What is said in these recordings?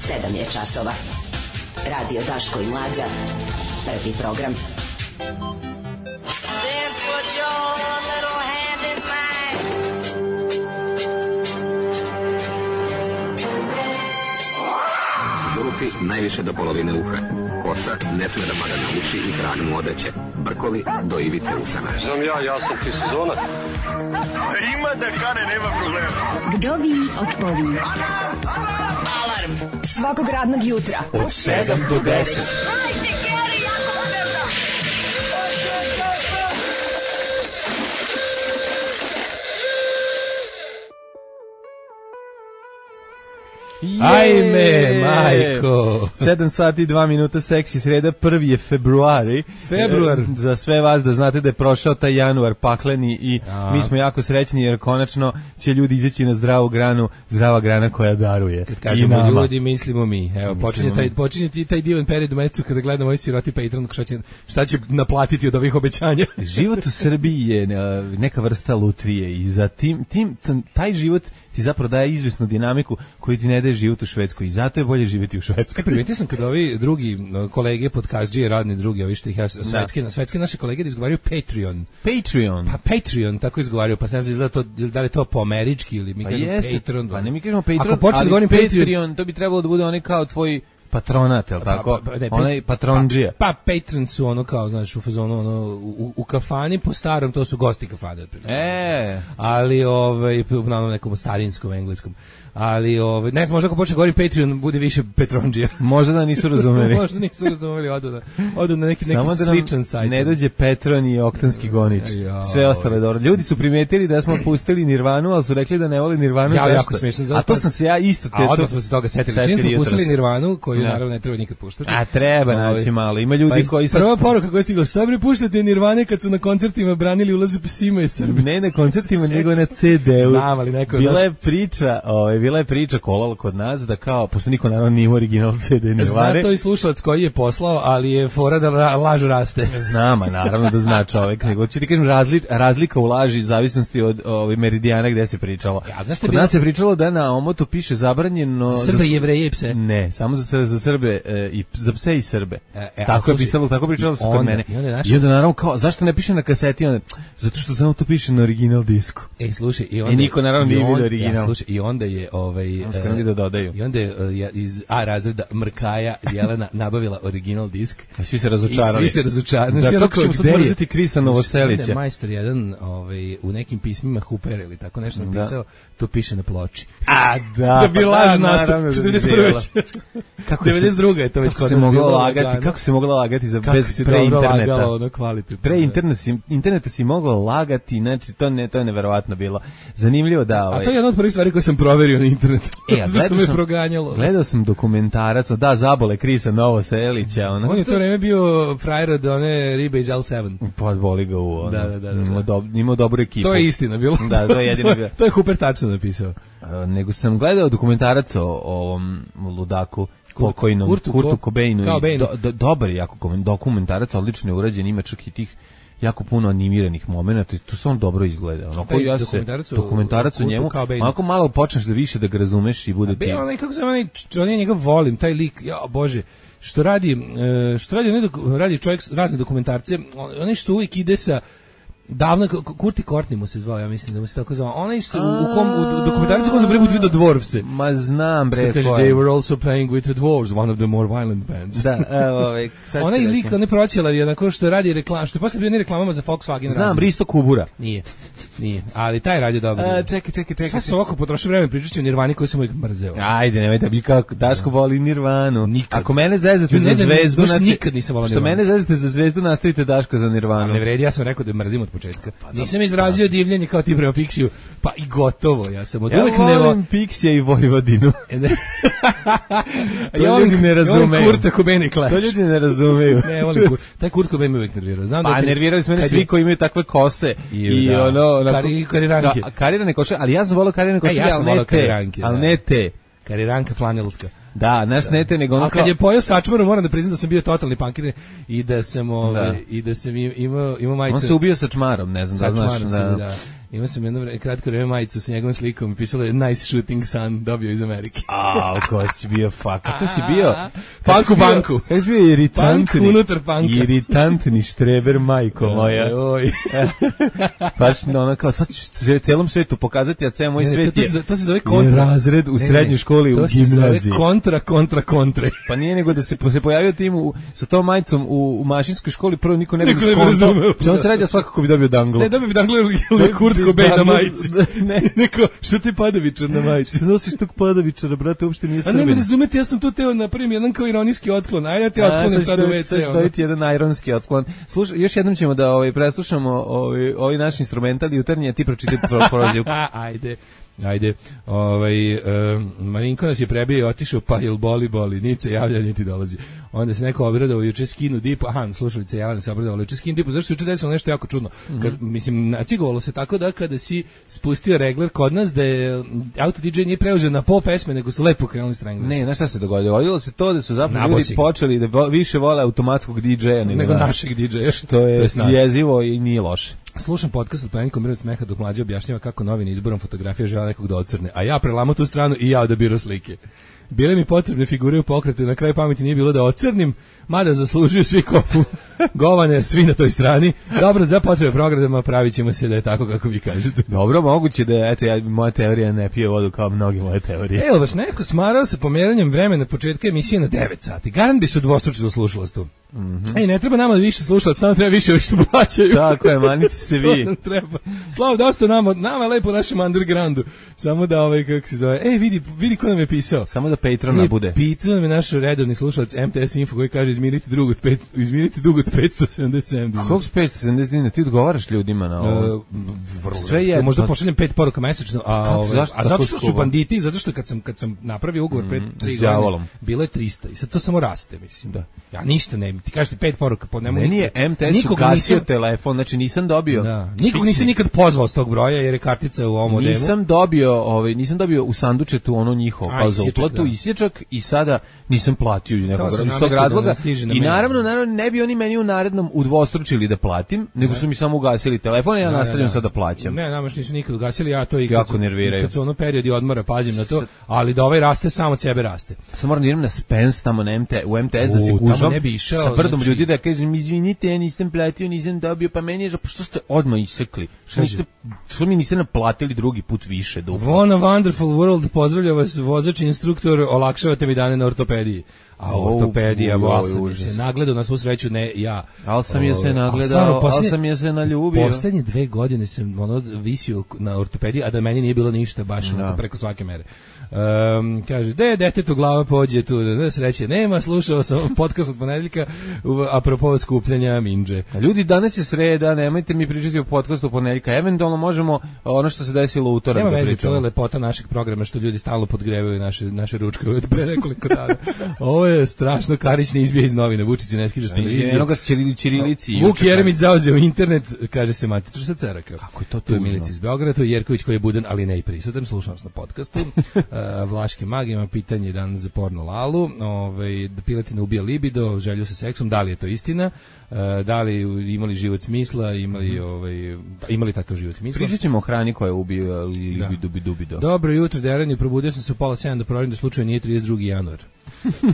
7 je časova. Radio Daško i Mlađa. Prvi program. Then put your little hand in mine. Zulufi najviše do polovine uha. Kosa ne sme da pada na uši i krag mu odeće. Brkovi do ivice usana. Znam ja sam ti sezonac. Ima da kane, nema problema. Vdovi otpovi. Alarm Svakog radnog jutra Od 7 do 10. Ajme, majko. 7 sati i 2 minuta, seksi sreda, 1. je februari. Februar. Za sve vas da znate da je prošao taj januar pakleni i mi smo jako srećni jer konačno će ljudi izaći na zdravu granu, zdrava grana koja daruje. Kad kažemo ljudi, mislimo mi. Evo, počinje taj divan period u mesecu kada gledamo ovaj siroti Patreon, šta će naplatiti od ovih obećanja. Život u Srbiji je neka vrsta lutrije i za taj život ti zapravo daje izvesnu dinamiku koju ti ne daje život u Švedskoj i zato je bolje živjeti u Švedskoj. Primetio sam kada ovi drugi kolege podcastđije, radni drugi, ovi što ih ja svetske naše kolege izgovaraju Patreon. Pa Patreon, tako izgovaraju, pa se ne znam da li je to po američki ili mi kažemo Patreon. Pa ne mi kažemo Patreon, ako počne da govorim Patreon, to bi trebalo da bude onaj kao tvoj patronat, je li tako? Onaj patronđija. Pa Patreon su ono kao, znaš, u fazonu, ono, u kafani, po starom, to su gosti kafane. Ali, na nekom starinskom, engleskom. Ali, ne znam, možda ako počne govori Patreon, bude više Petronđija. Možda da nisu razumeli. Možda nisu razumeli, odu na neki sličan sajt. Ne dođe Petron i Oktanski gonič. Sve ostalo je dobro. Ljudi su primetili da smo pustili Nirvanu, ali su rekli da ne vole Nirvanu. Ja, jako smiješno. A to sam se ja isto... A odmah smo se toga setili. Čim smo pustili Nirvanu, koju naravno ne treba nikad puštati. A treba naći malo. Ima ljudi koji su... Prva poruka koja je stigla, šta bre puštate Nirvane kad su na koncertima branili ulaze psima i Srbi? Ne na koncertima, nego na CD-u. Znam, ali neko... Bila je priča kolala kod nas da kao, pošto niko naravno nije original CD Nirvane. Zna to i slušalac koji je poslao, ali je fora da laž raste. Znama, naravno da zna čovek. Nego ću ti kažem, razlika u laži zavisnosti od meridijana gde se pričalo. Kod nas se pričalo da na omotu piše zabranjeno... Za Srbe, Jevreje i pse. Ne, samo za Srbe, za pse i Srbe. Tako je pisalo, tako pričalo se kod mene. I onda naravno kao, zašto ne piše na kaseti? Zato što samo to piše na original disku. Slušaj, i niko naravno nije vidio original. Slušaj, i onda je da dodaju. I onda je iz A razreda Mrkaja Jelena nabavila original disk. A svi se razočarali. Da, kako ćemo sad mrziti Krisa Novoselića? Majstor jedan u nekim pismima Huper ili tako nešto napisao, to piše na ploči. A da. Da bi laž nastao. 91. 92. je to već kod nas bilo lagati. Kako se moglo lagati bez pre interneta? Pre interneta si mogao lagati, znači to je neverovatno bilo. Zanimljivo da... A to je jedna od prvih stvari koje sam proverio na internetu. Gledao sam dokumentarac, Zabole Krisa Novoselića. On je to vreme bio frajer od one ribe iz L7. Pa boli ga u ono. Da. Imao dobru ekipu. To je istina bilo. Da, to je jedino bilo. To je Huper tačno napisao. Nego sam gledao dokumentarac o ovom ludaku pokojnom Kurtu Cobainu. Dobar je jako dokumentarac, odlično je urađen, ima čak i tih jako puno animiranih momenata i to se on dobro izgleda. Dokumentarac o njemu, onako malo počneš da više da ga razumeš i bude ti... On je njega volim, taj lik, ja bože, što radi čovjek razne dokumentarce, onaj što uvijek ide sa davno, Kurti Courtney mu se zvao, ja mislim da mu se tako zvao. Onaj što u dokumentarcu ko zabre put vidio Dwarfse. Ma znam bre. Kaže, they were also playing with the Dwarves, one of the more violent bands. Da, evo, onaj lik, onaj proćelav je onako što radi reklam, što je posle bio ne reklamama za Volkswagen. Znam, Risto Kubura. Nije, ali taj radio dobro. Čekaj. Sad sam ovako potrošio vreme pričajući o Nirvani koju sam uvijek mrzeo. Ajde, nemojte bi kako, Daško voli Nirvanu. Nikad. Ako mene zezate za zvezdu, znači... Nikad nisam volao Nirvanu. Što mene zezate za zvezdu, nastavite Daško za Nirvanu. Ne vredi, ja sam rekao da mrzim od početka. Nisam izrazio divljenje kao ti prema Pixiju, pa i gotovo, ja sam od uvek ne volim Pixija i Vojvodinu. To ljudi ne razumeju. Kurta Cobain i Clash. To ljudi ne razumeju. Ne volim Kurta. Taj Kurt Cobain me uvek nervirao. Pa nervirali su mene svi koji imaju takve kose. I ono... Kariranke. Karirane koše, ali ja sam volao karirane koše, ali ne te. Kariranka flanelska. Da, naš nete nego ono. A kad je pojeo sačmaru, moram da priznam da sam bio totalni punkir i da sam imao majice. On se ubio sačmarom, ne znam da znaš. Imao sam jedno kratko vreme majicu sa njegovom slikom i pisalo je Nice Shooting Son, dobio iz Amerike. Ko si bio kako si bio? Punk u banku. Kako si bio iritantni? Punk unutar punka. Iritantni štreber, majko moja. Oj. Baš ono kao sad ću celom svetu pokazati, a ceo moj svet je... To se zove kontra. Razred u srednjoj školi, u gimnaziji. To se zove kontra. Pa nije nego da se pojavio tim sa tom majicom u mašinskoj školi, prvo niko ne bi skontao. Čemu se radi, svakako bi dobio danglo. Ne, dobio bi danglo ili Kurt Cobain na majici. Neko, što ti Padavičar na majici? Što nosiš tog Padavičara, brate, uopšte nije Srbin. A ne razumete, ja sam tu teo napravim jedan kao ironijski otklon. Ajde, te otklonim sad u WC. Sad ću dobiti jedan ironski otklon. Slušaj, još jednom ćemo da preslušamo ovaj naš instrumental jutarnji, a ti pročitaj prozivku. Ajde, Marinko nas je prebio i otišao, pa jel boli, nice javlja, niti dolazi. Onda se neko obradao, juče skinu dipu, slušalice Jelena se obradao, juče skinu dipu, zašto se juče desilo nešto jako čudno. Mislim, nacigovalo se tako da kada si spustio regler kod nas, da je auto DJ nije preuzeo na pol pesme, nego su lepo krenuli Stranglers. Ne, znaš šta se dogodilo? Dogodilo se to da su zapravo ljudi počeli da više vole automatskog DJ-a nego našeg DJ-a. Što je jezivo i nije loše. Slušam podcast od Panikom Mirot smeha dok Mlađa objašnjava kako novine izborom fotografije žele nekog da ocrne, a ja prelamo tu stranu i ja odabiro slike. Bile mi potrebne figure u pokretu i na kraju pameti nije bilo da ocrnim, mada zaslužuju svi kopu govane, svi na toj strani. Dobro, za potrebe programa pravit ćemo se da je tako kako vi kažete. Dobro, moguće da je, moja teorija ne pije vodu kao mnogi moje teorije. Evo, baš neko smarao sa pomeranjem vremena početka emisije na 9 sati. Garant bi se udvostručilo slušalaštvo. Ne treba nama više slušalac, samo treba više ovih što plaćaju. Tako je, manite se vi. Nam treba. Slavo, dosta nama je lepo u našem undergroundu. Samo da kako se zove. Vidi ko nam je pisao. Samo da Patrona bude. Pitao nam je naš redovni slušalac MTS Info koji kaže izmirite dug od 577 dinara. Koliko su 570 dinara? Ti odgovaraš ljudima na ovo? Sve je. Možda pošaljem 5 poruka mesečno, a zato što su banditi, zato što kad sam napravio ugovor pred 3 godine, bilo je 300 i sad to samo raste, mislim. Da. Ja ništa ne, ti kažeš 5 poruka, meni je MTS ugasio telefon, znači nisam dobio. Da. Nikog nisam nikad pozvao s tog broja jer je kartica u ovom modelu. Nisam dobio u sandučetu ono njihovo kao za uplatu isječak i sada nisam platio iz tog razloga. I naravno ne bi oni meni u narednom udvostručili da platim, nego su mi samo ugasili telefon i ja nastavljam sad da plaćam. Ne, nama nisu nikad ugasili, ja to i kad su ono periodi odmora pazim na to, ali da ovaj raste samo od sebe raste. Samo moram da idem na Spence tamo u MTS da se gužam sa brdom ljudi da kažem izvinite, ja nisam platio, nisam dobio, pa meni je što ste odmah isekli? Što mi niste naplatili drugi put više? Von a Wonderful World, pozdravlja vas vozač instruktor, olakšavate mi dane na ortopediji. A ortopedija, se nagledao na svu sreću, ne ja. Ali sam je se nagledao, ali sam je se naljubio. Poslednje 2 godine sam visio na ortopediji, a da meni nije bilo ništa, baš preko svake mere. Kaže, detetu glava pođe tu, da sreće nema, slušao sam podcast od ponedeljka apropo skupljanja minđe. Ljudi, danas je sreda, nemojte mi pričati o podcastu ponedeljka, eventualno možemo ono što se desilo u utorak da pričamo. Nema veze, to je lepota našeg programa što ljudi stalno podgrevaju naše ručke od pre nekoliko dana. Ovo je strašno, Karić ne izbije iz novine, Vučić ne skiže s televizije. Enoga s ćirilici. Vuk Jeremić zauzeo internet, kaže se matičar sa Ceraka. Kako je to tu? Je Milica iz Beograda, to je Jerković koji je budan, ali ne i prisutan, slušam na podcastu. Vlaški mag ima pitanje dan za porno Lalu, da piletina ubija libido, želju sa seksom, da li je to istina, da li imali život smisla, imali takav život smisla. Pričat ćemo o hrani koja ubija libido. Dobro jutro, Derani, probudio sam se u 6:30 da proverim da slučaju nije 32. januar.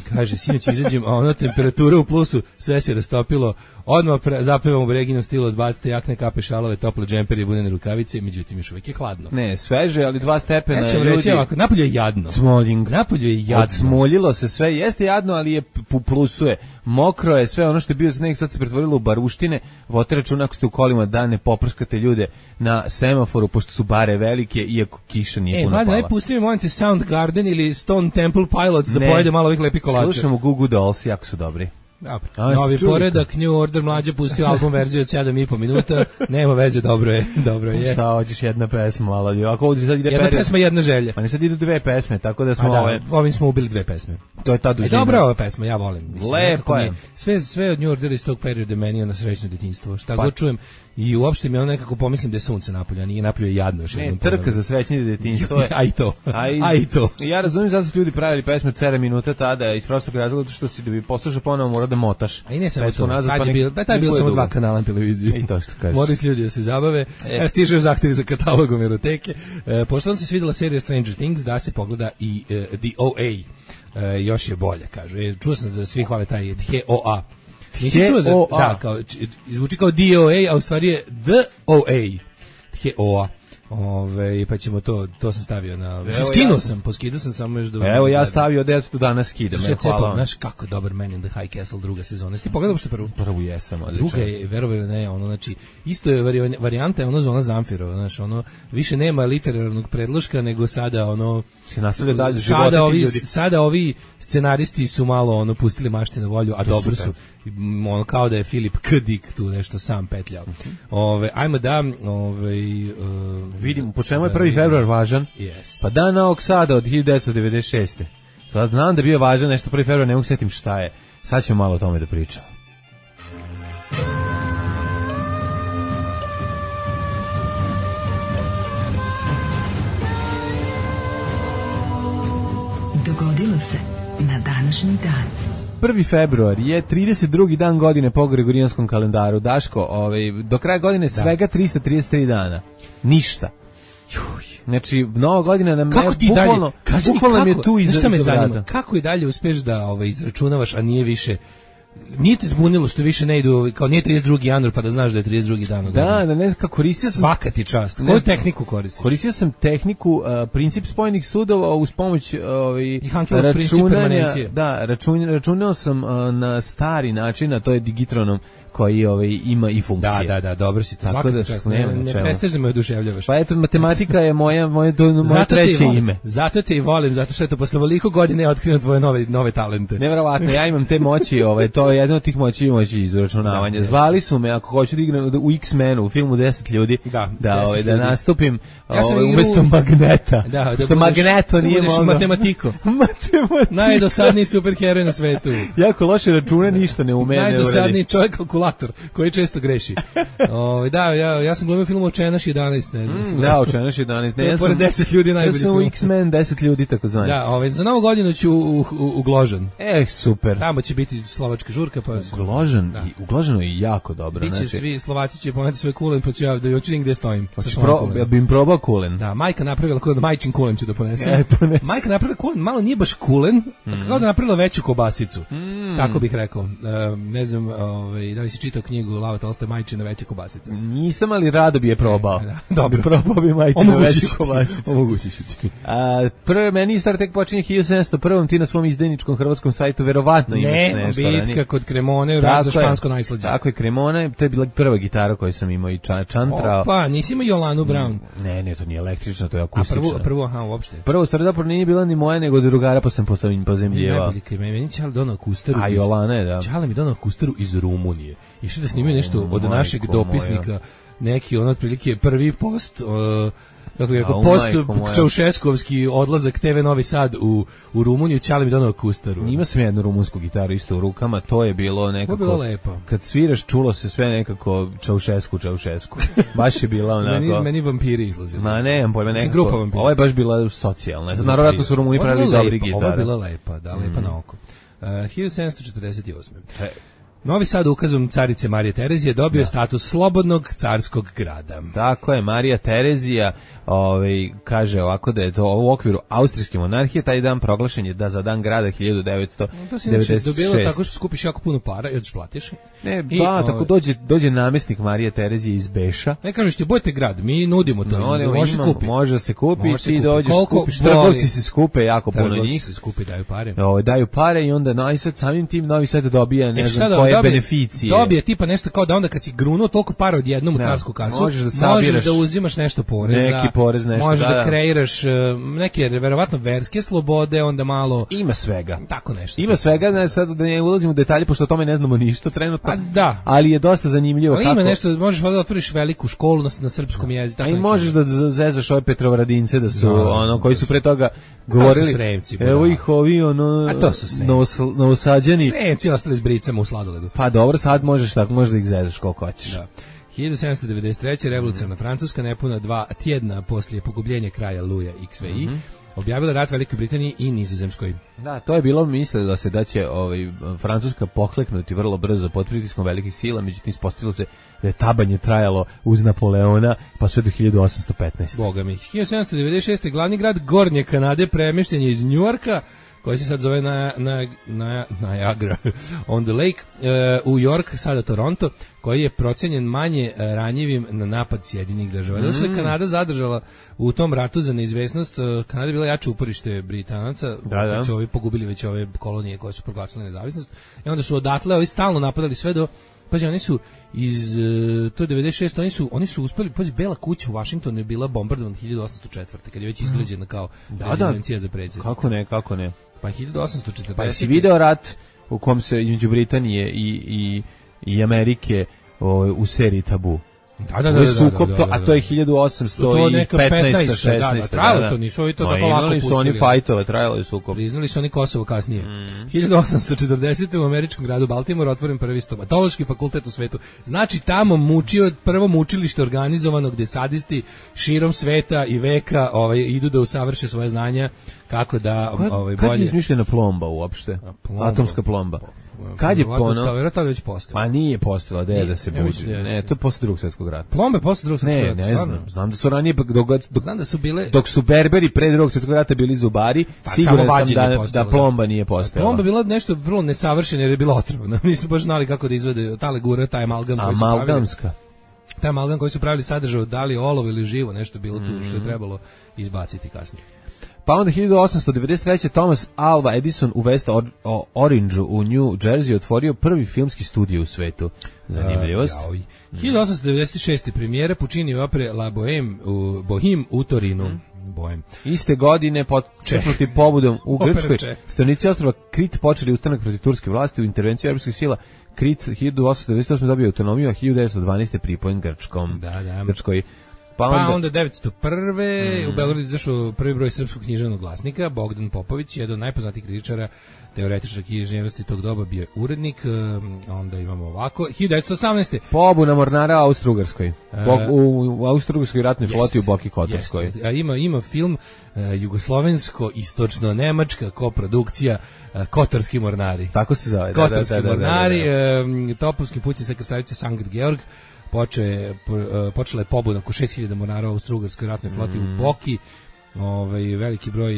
Kaže, sinoć izađem, a ona temperatura u plusu, sve se rastopilo, odmah zapevam u Breginom stilu, odbacite jakne, kape, šalove, tople džempere i bunene rukavice, međutim još uvijek je hladno. Ne, sveže, ali 2 stepena. Ja ćemo reći ovako, napolju je jadno. Smoljing. Napolju je jadno. Odsmoljilo se sve, jeste jadno, ali je plusuje. Mokro je, sve ono što je bio sneg sad se pretvorilo u baruštine. Vodite računa ako ste u kolima da ne poprskate ljude na semaforu, pošto su bare velike, iako kiša nije puno pala. Najpusti mi molim te Soundgarden ili Stone Temple Pilots da pojede malo ovih lepih kolača. Slušamo Goo Goo Dolls, jako su dobri. Novi poredak, New Order, Mlađa pustio album verziju od 7,5 minuta, nema veze, dobro je. Šta hoćeš, jedna pesma, malo ljudi. Ako ovdje sad ide jedna pesma, jedna želja. Pa ne sad idu 2 pesme, tako da smo ovim smo ubili 2 pesme. To je ta dužina. Dobra ova pesma, ja volim. Lepo je. Sve od New Order iz tog perioda meni na srećno detinjstvo. Šta god čujem, I uopšte mi ono nekako pomislim da je sunce napolje, a nije napolje jadno još jednom. Ne, trka za srećnije detinjstvo. A i to. Ja razumijem zašto su ljudi pravili pesme 7 minuta tada iz prostog razloga što si da bi poslušao ponovo mora da motaš. A i ne samo to. Tad je bilo samo 2 kanala na televiziji. I to što kažeš. Moraju ljudi da se zabave. Stižu zahtevi za katalogom eroteke. Pošto vam se svidela serija Stranger Things, da se pogleda i The OA. Još je bolje, kaže. Čuo sam da svi hvale taj HOA. Nisi čuo za... Da, kao, zvuči kao DOA, a u stvari je DOA. HOA. Pa ćemo to sam stavio na... Poskidao sam samo još da... Evo ja stavio da ja to danas skidam. Hvala. Znaš kako je dobar Man in the High Castle druga sezona. Ti pogledao što prvu? Prvu jesam, odlično. Druga je, verovali ne, ono, znači, isto je varijanta je ono Zona Zamfirova, znaš, ono, više nema literarnog predloška, nego sada, ono... Se nastavlja dalje životiti ljudi. Sada ovi scenaristi su malo, ono, pustili mašte na volju, a dobro su. Ono, kao da je Filip K. Dick tu nešto sam petljao. Ajmo da, vidimo, po čemu je 1. februar važan? Yes. Pa dan Novog Sada od 1996. Sad znam da je bio važan nešto 1. februar, ne mogu setim šta je. Sad ćemo malo o tome da pričamo. Dogodilo se na današnji dan. 1. februar je 32. dan godine po Gregorijanskom kalendaru. Daško, do kraja godine svega 333 dana. Ništa. Znači, nova godina nam je bukvalno je tu iza vrata. Kako i dalje uspeš da izračunavaš, a nije više... Nije te zbunilo što više ne idu, kao nije 32. januar pa da znaš da je 32. dan. Da, ne znam kako koristio sam... Svaka ti čast. Koju tehniku koristiš? Koristio sam tehniku, princip spojenih sudova uz pomoć računanja. Da, računao sam na stari način, a to je digitronom koji ima i funkcije. Da, dobro si to. Svaka ti čast. Ne prestaš da me oduševljavaš. Pa eto, matematika je moje treće ime. Zato te i volim, zato što eto, posle ovoliko godine ja otkrivam tvoje nove talente. Nevjerovatno, ja imam te moći, to je jedna od tih moći izračunavanja. Zvali su me, ako hoću da igram u X-Menu, u filmu 10 ljudi, da nastupim umesto Magneta. Što Magneto nije mogao. Matematiko. Najdosadniji superheroj na svetu. Jako loše račune, ništa ne ume. Najdosadniji čovjek kalkulator, koji često greši. Ja sam glumio film Očenaš 11, ne znam. Da, Očenaš 11. Ne, pored 10 ljudi najbolji film. Ja sam u X-Men 10 ljudi, tako zvanje. Da, za novu godinu ću u Gložan. Super. Tamo će biti slovačka žurka. U Gložanu je jako dobro. Biće svi Slovaci će poneti svoj kulen, pa ću ja da hoću gdje stojim. Ja bi im probao kulen. Da, majka napravila kulen, majčin kulen ću da ponesem. Majka napravila kulen, malo nije baš kulen, kao da napravila veću kobasicu. Tako bih rekao. Ne znam, da li si čitao knjigu Lava Tolstoja Majčina veća kobasica? Nisam, ali rado bi je probao. Dobro. Probao bi Majčina veću kobasicu. Omogućit ću ti. Meni Star tek počinje 1701. Ti na svom izdajničkom hrvatskom sajtu verovatno imaš nešto. Ne, bitka kod Cremone, rad za špansko najslađe. Tako je, Cremone, to je bila prva gitara koju sam imao i čantrao. Opa, nisi imao Jolanu Brown? Ne, to nije električna, to je akustična. Prvo, uopšte. Prvo, stvari zapravo nije bila ni moja, nego drugara, pa sam pozemljivao. Meni Čale donao kustaru. A Jolana je, da. Čale mi donao kustaru iz Rumunije. Išli da snimaju nešto od našeg dopisnika, neki otprilike prvi post, kako je rekao, post Čaušeskovski odlazak TV Novi Sad u Rumuniju, Čale mi donao kustaru. Ima sam jednu rumunsku gitaru isto u rukama, to je bilo nekako... To je bilo lepo. Kad sviraš, čulo se sve nekako Čaušesku. Baš je bila onako... meni vampiri izlazili. Ma nemam pojma, nekako... Ovo je baš bila socijalna. Naravno su Rumuni pravili dobri gitara. Ovo je bila lepa, lepa na oko. 1748. Novi Sad ukazom carice Marije Terezije dobio status slobodnog carskog grada. Tako je, Marija Terezija kaže ovako da je to u okviru austrijske monarhije, taj dan proglašen je da za dan grada 1996. To si znači dobilo tako što skupiš jako puno para i odeš platiš. Tako dođe namestnik Marije Terezije iz Beša. Ne kažeš ti, bojte grad, mi nudimo to, može da se kupi, ti dođeš, skupiš, trgovci se skupe jako puno njih. Trgovci se skupi, daju pare. Daju pare i onda i sad samim tim Novi Sad dobija ne znam koje beneficije. Dobije tipa nešto kao da onda kad si grunuo toliko para odjednom u carsku kasu, možeš da uzimaš nešto poreza. Neki porez, nešto, možeš da kreiraš neke verovatno verske slobode, onda malo... Ima svega. Tako nešto. Ima svega, sad da ne ulazimo u detalje, pošto o tome ne znamo ništa trenutno. Da. Ali je dosta zanimljivo kako... Ima nešto, možeš da otvoriš veliku školu na srpskom jeziku. A i možeš da zezaš ove Petrovaradince da su, koji su pre toga govorili... Sremci, evo ih ovi, Novosađani. Sremci ostali s bricama u sladoledu. Pa dobro, sad možeš tako, možeš da ih zezaš koliko hoćeš. Da. 1793. revolucionarna Francuska, nepuna 2 tjedna poslije pogubljenja kralja Luja XVI, objavila rat Velikoj Britaniji i Nizozemskoj. Da, to je bilo mislilo se da će Francuska pokleknuti vrlo brzo pod pritiskom velikih sila, međutim ispostavilo se da je tabanje trajalo uz Napoleona pa sve do 1815. Boga mi. 1796. glavni grad Gornje Kanade premješten je iz Njujorka, koji se sad zove Niagara on the Lake, u York, sada Toronto, koji je procenjen manje ranjivim na napad Sjedinjenih država. Da se Kanada zadržala u tom ratu za neizvesnost, Kanada je bila jače uporište Britanaca, koji su ovi pogubili već ove kolonije koje su proglasile nezavisnost, i onda su odatle ovi stalno napadali sve do, pazi, oni su iz to je 96, oni su uspeli, pazi, Bela kuća u Vašingtonu je bila bombardovana 1804. kad je već izgrađena kao rezidencija za predsjednika. Kako ne? Pa 1840. Pa si video rat u kom se između Britanije i Amerike u seriji Tabu. Da. A to je 1815, 16. Trajalo to, nisu ovi to tako lako pustili. Su oni fajtove, trajalo je sukob. Priznali su oni Kosovo kasnije. 1840. u američkom gradu Baltimore otvoren prvi stomatološki fakultet u svetu. Znači tamo mučio prvo mučilište organizovano gdje sadisti širom sveta i veka idu da usavrše svoje znanja kako da bolje. Kad je izmišljena plomba uopšte? Atomska plomba. Kad je pono? Vjerojatno već postala. Pa nije postala, da se budi. Ne, to je posle Drugog svjetskog rata. Plombe posle Drugog svjetskog rata. Ne znam. Znam da su ranije znam da su bile dok su Berberi pre Drugog svjetskog rata bili zubari, siguran sam da plomba nije postala. Plomba bila nešto vrlo nesavršeno jer je bila otrovna. Nisu baš znali kako da izvede ta legura, taj amalgam koji su pravili. Amalgamska. Taj amalgam koji su pravili sadržao da li olovo ili živo, nešto bilo tu što je trebalo izbaciti kasnije. Pa onda 1893. Thomas Alva Edison u West Orangeu u New Jersey otvorio prvi filmski studio u svetu. Zanimljivost. 1896. premijera Pucciniove opere La Bohème u Torinu. Bohem. Iste godine početnuti pobudom u Grčkoj, stanovnici ostrva Krit počeli ustanak protiv turske vlasti u intervenciju evropskih sila. Krit 1898. dobio autonomiju, a 1912. pripojen Grčkom. Grčkoj. Pa onda 901. u Beogradu izašao prvi broj srpskog književnog glasnika. Bogdan Popović, jedan od najpoznatijih kritičara, teoretičara književnosti tog doba, bio je urednik. Onda imamo ovako 1918. pobuna mornara u Austro-Ugarskoj. U Austro-Ugarskoj ratnoj floti u Boki Kotorskoj. Ima film jugoslovensko-istočno-nemačka koprodukcija Kotorski mornari. Tako se zove. Kotorski mornari, topovski pućni sa krstavice Sankt Georg. Počela je pobuna oko 6000 mornara u Austro-Ugarskoj ratnoj floti u Boki. Veliki broj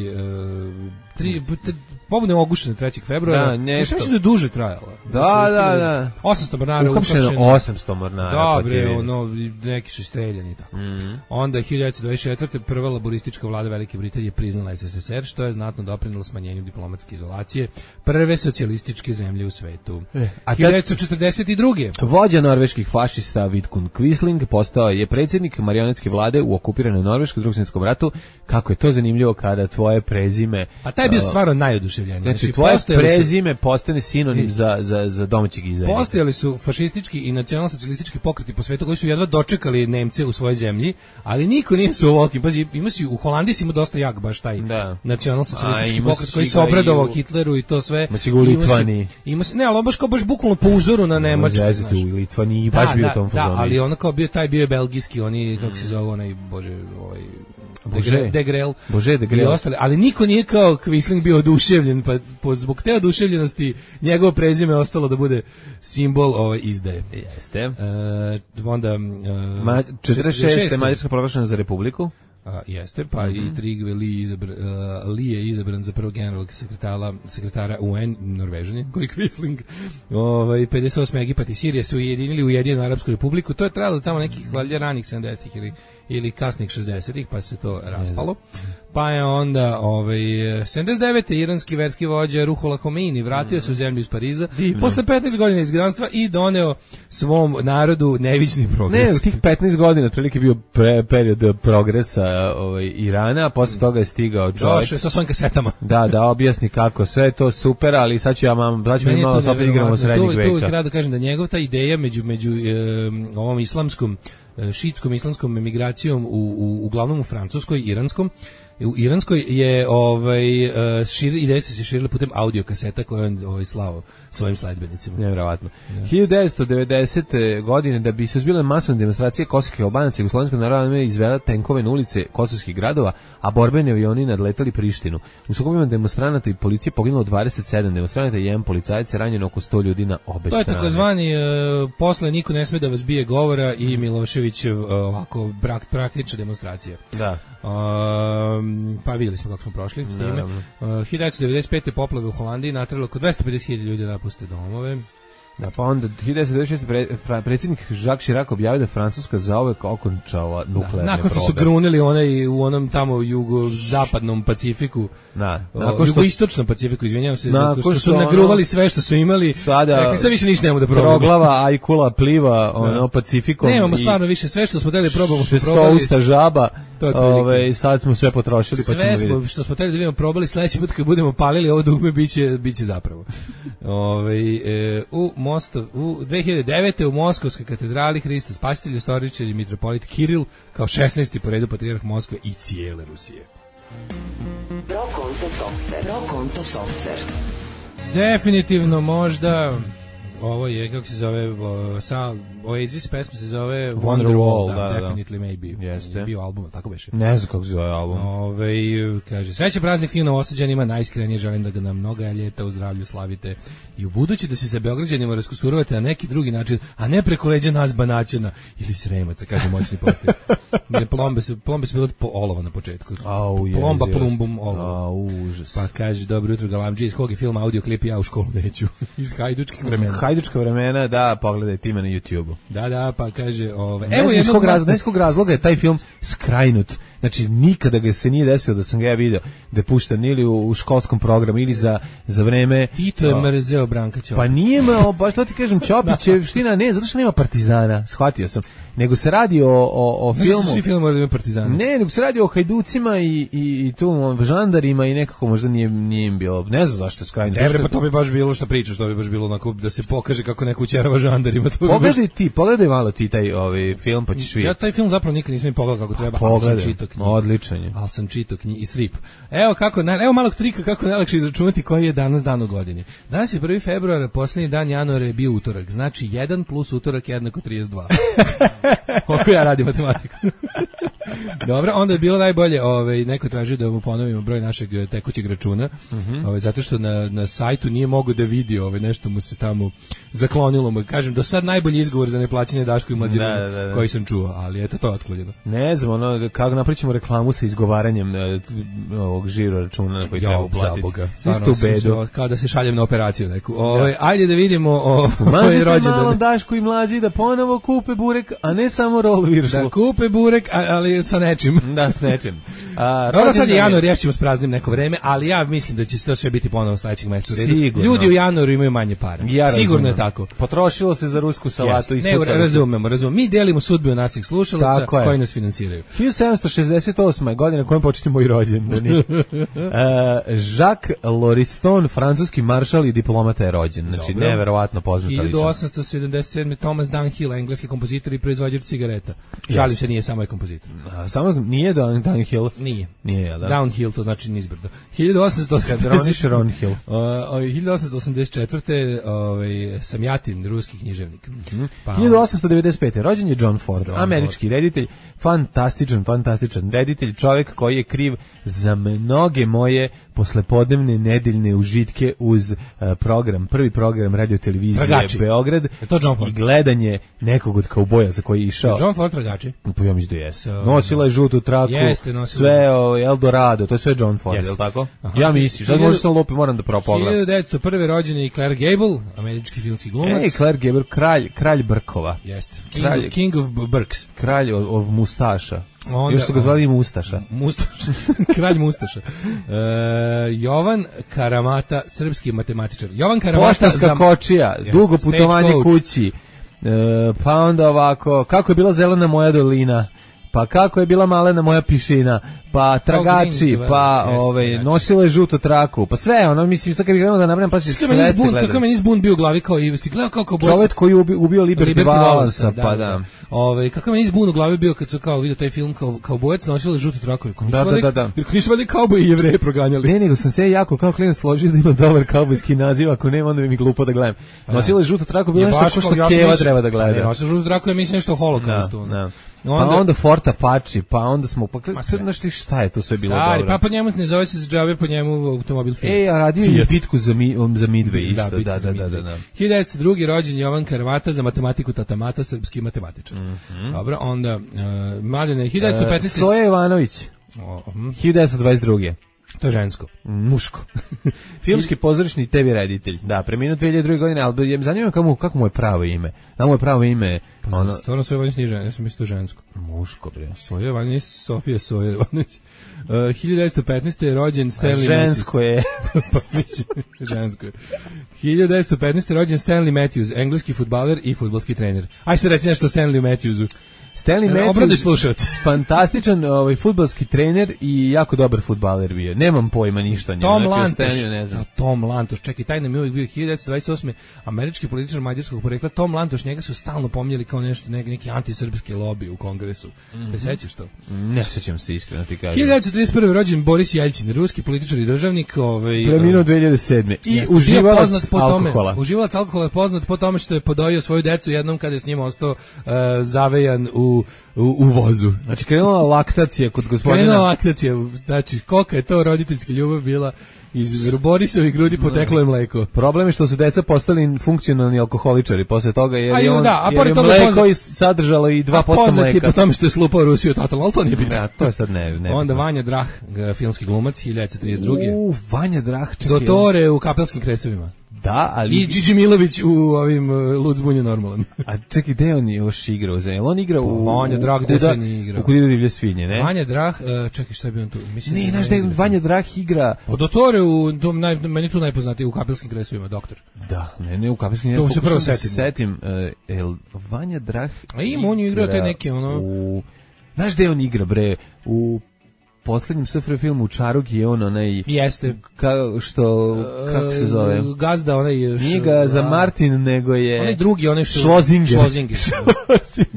pobune ogušene 3. februara. Mislim da je duže trajala. Da. 800 mornara uhapšeno. 800 mornara. Dobre, neki su streljani tako. Onda 1924. prva laboristička vlada Velike Britanije priznala SSSR, što je znatno doprinelo smanjenju diplomatske izolacije prve socijalističke zemlje u svetu. 1942. Vođa norveških fašista Vidkun Quisling postao je predsjednik marionetske vlade u okupiranoj Norveškoj u Drugom svjetskom ratu. Kako je to zanimljivo kada tvoje prezime... A taj je bio stvarno najoduševljeniji. Znači, tvoje prezime postane sinonim za domaćeg izdajnika. Postojali su fašistički i nacionalno-socijalistički pokreti po svetu koji su jedva dočekali Nemce u svojoj zemlji, ali niko nije su ovoliki. Pazi, u Holandiji si imao dosta jak baš taj nacionalno-socijalistički pokret koji se obradovao Hitleru i to sve. Ima si u Litvaniji. Ne, ali on baš bukvalno po uzoru na Nemačku. U Litvaniji baš bio u tom fazonu. Da, ali ono kao taj bio je belgijski, oni, kako se zove, onaj, De Grel i ostali, ali niko nije kao Quisling bio oduševljen, pa zbog te oduševljenosti njegovo prezime ostalo da bude simbol izdaje. Jeste. Onda 46. Mađarska proglašena za republiku. Jeste, pa i Trygve Lie je izabran za prvog generalnog sekretara UN, Norvežan koji Quisling. 58. Egipat i Sirija su ujedinili Ujedinjenu Arapsku republiku. To je trajalo tamo nekih valjda ranih 70-ih ili kasnih 60-ih, pa se to raspalo. Pa je onda 79. iranski verski vođa Ruhollah Khomeini vratio se u zemlju iz Pariza posle 15 godina izgnanstva i doneo svom narodu neviđni progres. Ne, u tih 15 godina otprilike bio period progresa Irana, a posle toga je stigao čovjek. Došao sa svojim kasetama. Da objasni kako sve je to super, ali sad ću mi malo opet igramo srednjeg veka. Tu uvijek rado kažem da njegov ta ideja među ovom islamskom šiitskom islamskom emigracijom uglavnom u Francuskoj, u Iranskoj je ideje su se širile putem audio kaseta koje on slao svojim sledbenicima. Nevjerovatno. 1990. godine da bi se zbile masovne demonstracije kosovskih Albanaca, Jugoslovenska narodna armija izvela tenkove na ulice kosovskih gradova, a borbeni avioni nadletali Prištinu. U sukobima demonstranata i policije poginulo 27 demonstranata i jedan policajac, ranjeno oko 100 ljudi na obe strane. To je takozvani posle niko ne sme da vas bije govora i Miloševićev ovako praktična demonstracija. Da. Pa vidjeli smo kako smo prošli s njime. 1995. poplave u Holandiji natralo oko 250.000 ljudi da napuste domove. Da, pa onda 1996. predsjednik Jacques Chirac objavio da Francuska zauvek okončala nuklearne probe. Nakon što su grunili u onom tamo jugozapadnom Pacifiku, jugoistočnom Pacifiku, izvinjavam se, što su nagruvali sve što su imali, sada više ništa nemamo da probamo. Troglava, ajkula, pliva, Pacifikom. Nemamo stvarno više, sve što smo hteli probamo. Šestousta žaba, sad smo sve potrošili, pa ćemo vidjeti. Sve što smo hteli da vidimo probali, sledeći put kad budemo palili ovo dugme, biće zapravo. U 2009. u Moskovskoj katedrali Hristos Spasitelj istoričar i mitropolit Kiril kao 16. po redu patrijarh Moskve i cijele Rusije. Pro konto softver. Definitivno možda ovo je, kako se zove, Oasis pesma se zove Wonderwall, Definitely Maybe. Jeste. Bio album, tako beše. Ne znam kako se zove album. Kaže, sreće praznik fino osađanima, najiskrenije želim da ga nam mnoga ljeta u zdravlju slavite i u budući da se sa Beograđanima raskusurovate na neki drugi način, a ne preko leđa nas Banaćana ili Sremaca, kaže moćni portir. Plombe su bile po olova na početku. Plomba, plumbum, olova. Užas. Pa kaže, dobro jutro Galamđi, iz kog je film, audio klip, ja u školu neću. Iz hajdučkih vremena. Hajdučka vremena, da, pogledaj time na YouTube-u. Da, pa kaže, evo iz kog razloga je taj film skrajnut. Znači, nikada ga se nije desilo da sam ga ja video da je pušten ili u školskom programu ili za vreme... Tito je mrzeo Branka Ćopića. Pa nije baš to ti kažem, Ćopićevština, ne, zato što nema Partizana, shvatio sam. Nego se radi o filmu... Svi film moraju da ima Partizana. Ne, nego se radi o hajducima i tu žandarima i nekako možda nije im bilo... Ne znam zašto je skrajno. Pa to bi baš bilo što pričaš, to bi baš bilo onako da se pokaže kako neko učerava žandarima. Pogledaj malo ti taj film, pa ćeš vidjeti. Ja taj film zapravo nikad nisam ni pogledao kako treba, ali sam čitao knjigu. Odličan je. Ali sam čitao knjigu i strip. Evo malog trika kako najlakše izračunati koji je danas dan u godini. Danas je 1. februar, posljednji dan januara je bio utorak. Znači 1 plus utorak jednako 32. Ovako ja radim matematiku. Dobro, onda je bilo najbolje, neko traži da mu ponovimo broj našeg tekućeg računa, zato što na sajtu nije mogao da vidi, nešto mu se tamo zaklonilo. Kažem, do sad najbolji izgovor za neplaćanje Daško i Mlađe koji sam čuo, ali eto, to je otklonjeno. Ne znam, kako napričamo reklamu sa izgovaranjem ovog žiro računa na koji treba uplatiti. Isto u bedu. Kao da se šaljem na operaciju neku. Ajde da vidimo ovaj rođendan. Malo Daško i Mlađi da ponovo kupe burek, a ne samo rol viršlu. Da kupe burek, ali sa nečim. Da, s nečim. Dobro, sad je januar, rješćemo s praznim neko vreme, ali ja mislim da će se to sve biti ponovo sledećeg meseca u redu. Sigurno. Ljudi u januaru imaju manje para. Sigurno je tako. Potrošilo se za rusku salatu. Ne, razumemo. Mi delimo sudbinu naših slušalaca koji nas finansiraju. 1768. godina kojom početi moj rođendan. Jacques Lauriston, francuski maršal i diplomata je rođen. Znači, neverovatno poznata ličnost. 1877. Thomas Dunhill, engleski kompozitor i proizvođač cigareta. Žalim se, nije samo je kompozitor. Samo nije Downhill? Nije. Nije, da? Downhill, to znači nizbrdo. 1884. Samjatin, ruski književnik. 1895. rođen je John Ford, američki reditelj, fantastičan reditelj, čovjek koji je kriv za mnoge moje poslepodnevne nedeljne užitke uz prvi program radiotelevizije Beograd i gledanje nekog od kauboja za koji je išao. John Ford tragači? Pa ja mislim da jeste. Nosila je žutu traku, sve Eldorado, to je sve John Ford, je li tako? Ja mislim, sad možda sam lupi, moram da pogledam. 1901. rođen je Claire Gable, američki filmski glumac. Claire Gable, kralj Brkova. Jeste. King of Burks. Kralj od mustaša. Još su ga zvali i Mustaša. Kralj Mustaša. Jovan Karamata, srpski matematičar. Jovan Karamata, poštanska kočija, dugo putovanje kući. Pa onda ovako, kako je bila zelena moja dolina. pa kako je bila malena moja pišina, pa tragači, pa nosila je žutu traku, pa sve, ono, mislim, sad kad bih krenuo da nabrajam, pa će sve ste gledali. Kako meni zbun bio u glavi, kao i si gledao kao bojac. Čovjek koji ubio Liberty Valansa, pa da. Kako meni zbun u glavi bio kad su kao vidio taj film, kao bojac nosila je žutu traku. Da. Jer nisu vali kauboji i Jevreje proganjali. Ne, nego sam se jako kao klinac složio da ima dobar kaubojski naziv, ako nema, onda bi mi glupo da gledam. Nosila je žutu traku, bilo nešto što Keva treba da gleda. Nosila žutu traku, ja mislim nešto o holokaustu. Pa onda Fort Apache, pa onda smo znaš ti šta je to sve bilo dobro. Pa po njemu ne zove se džabe, po njemu automobil Fiat. A radio je bitku za Midway isto. Da. 1902. rođen Jovan Karvata, za matematiku tatamata, srpski matematičar. Dobro, onda Mladene 1915. Soja Ivanović. 1922. To je žensko. Muško. Filmski pozorišni TV reditelj. Da, preminuo 2002. godine, ali zanima kako mu je pravo ime. Da mu je pravo ime... Stvarno Soja Ivanović nije žensko, ja sam mislio žensko. Muško, bre. Soja Ivanović, Sofija Soja Ivanović. 1915. je rođen Stanley Matthews. Žensko je. Pa mislim, žensko je. 1915. je rođen Stanley Matthews, engleski fudbaler i fudbalski trener. Aj se reci nešto o Stanley Matthewsu. Stanley Matthews, fantastičan fudbalski trener i jako dobar fudbaler bio. Nemam pojma ništa o njemu. Tom Lantoš, čekaj, taj nam je uvijek bio 1928. američki političar mađarskog porekla. Tom Lantoš, njega su stalno pominjali kao nešto, neki antisrpski lobby u kongresu. Te sećaš to? Ne sećam se, iskreno ti kažem. 1931. rođen Boris Jelcin, ruski političar i državnik. Preminuo 2007. I uživalac alkohola. Uživalac alkohola je poznat po tome što je podojio svoju decu jednom kada je s njima ostao zavejan u vozu. Znači krenula laktacija kod gospodina. Krenula laktacija, znači kolika je to roditeljska ljubav bila, iz Borisovih grudi poteklo je mleko. Problem je što su deca postali funkcionalni alkoholičari posle toga, jer je mleko sadržalo i 2% mleka. Poznat je po tome što je slupao Rusiju totalno, ali to nije bitno. To je sad ne. Onda Vanja Drah, filmski glumac, 1932. Vanja Drah, čekaj. Dotore u Kapelskim kresovima. Da, ali... I Gigi Milović u ovim Lud zbunje normalan. A čekaj, gde on još igrao? Jel on igra u... Vanja Drah, gde se nije igrao? U Kudiru divlje svinje, ne? Vanja Drah, čekaj, šta je bio on tu? Ne, znaš da je Vanja Drah igra... Dotore, meni tu najpoznatiji, u Kapelskim kresovima, doktor. Da, ne u Kapelskim kresovima. To se prvo setim. Vanja Drah... A ima, on je igrao te neke, Znaš gde on igra, bre? U poslednjem SFRJ filmu Čaruk je on onaj... Jeste. Kako se zove? Gazda, onaj... Nije ga za Martin, nego je... Onaj drugi, onaj što...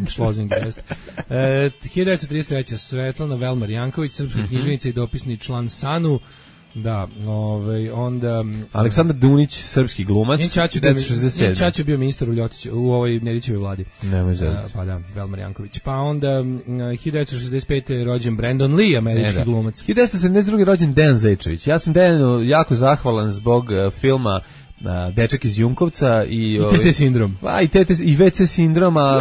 Šlozinger, jeste. 1933. Svetlana Velmar Janković, srpska književnica i dopisni član SANU. Da, onda... Aleksandar Dunić, srpski glumac, 1967. Njen čač je bio ministar u ovoj Nedićevoj vladi. Nemoj zezati. Pa da, Velmar Janković. Pa onda 1965. je rođen Brandon Lee, američki glumac. 1972. rođen Dejan Zečević. Ja sam Dejanu jako zahvalan zbog filma Dečak iz Junkovca i TT sindrom. I WC sindrom, a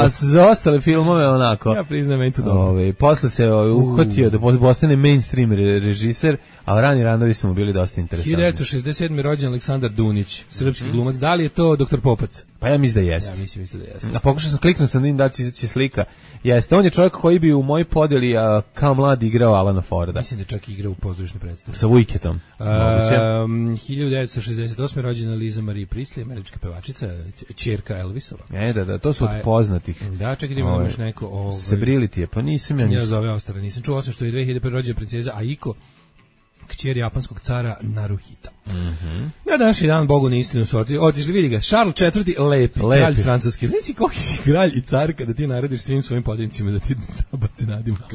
za ostale filmove onako. Ja priznam, meni to dobro. Posle se uhvatio da postane mainstream režiser, a rani radovi su mu bili dosta interesantni. 1967. rođen Aleksandar Dunić, srpski glumac. Da li je to Dr. Popac? Pa ja mislim da jeste. Ja mislim da jeste. A pokušao sam kliknuti da vidim da će izaći slika. Jeste, on je čovjek koji bi u mojoj podeli kao mlad igrao Alana Forda. Mislim da čak igrao u pozorišnoj predstavi. Sa Wicketom. 1968. rođena Liza Marie Priestley, američka pevačica, ćerka Elvisova. Da, to su od poznatih. Da, čekaj da imamo još neko... Sebrili je, pa nisam ja... Ja zove Austara, nisam čuo, osim što je 2001. rođena princeza Aiko, kćer japanskog cara Naruhita. Na današnji dan, Bogu na istinu su otišli, vidi ga, Charles IV. Lepi, kralj francuski. Znaš si koliki si kralj i car kada ti narediš svim svojim podjednicima da ti baci nadimak.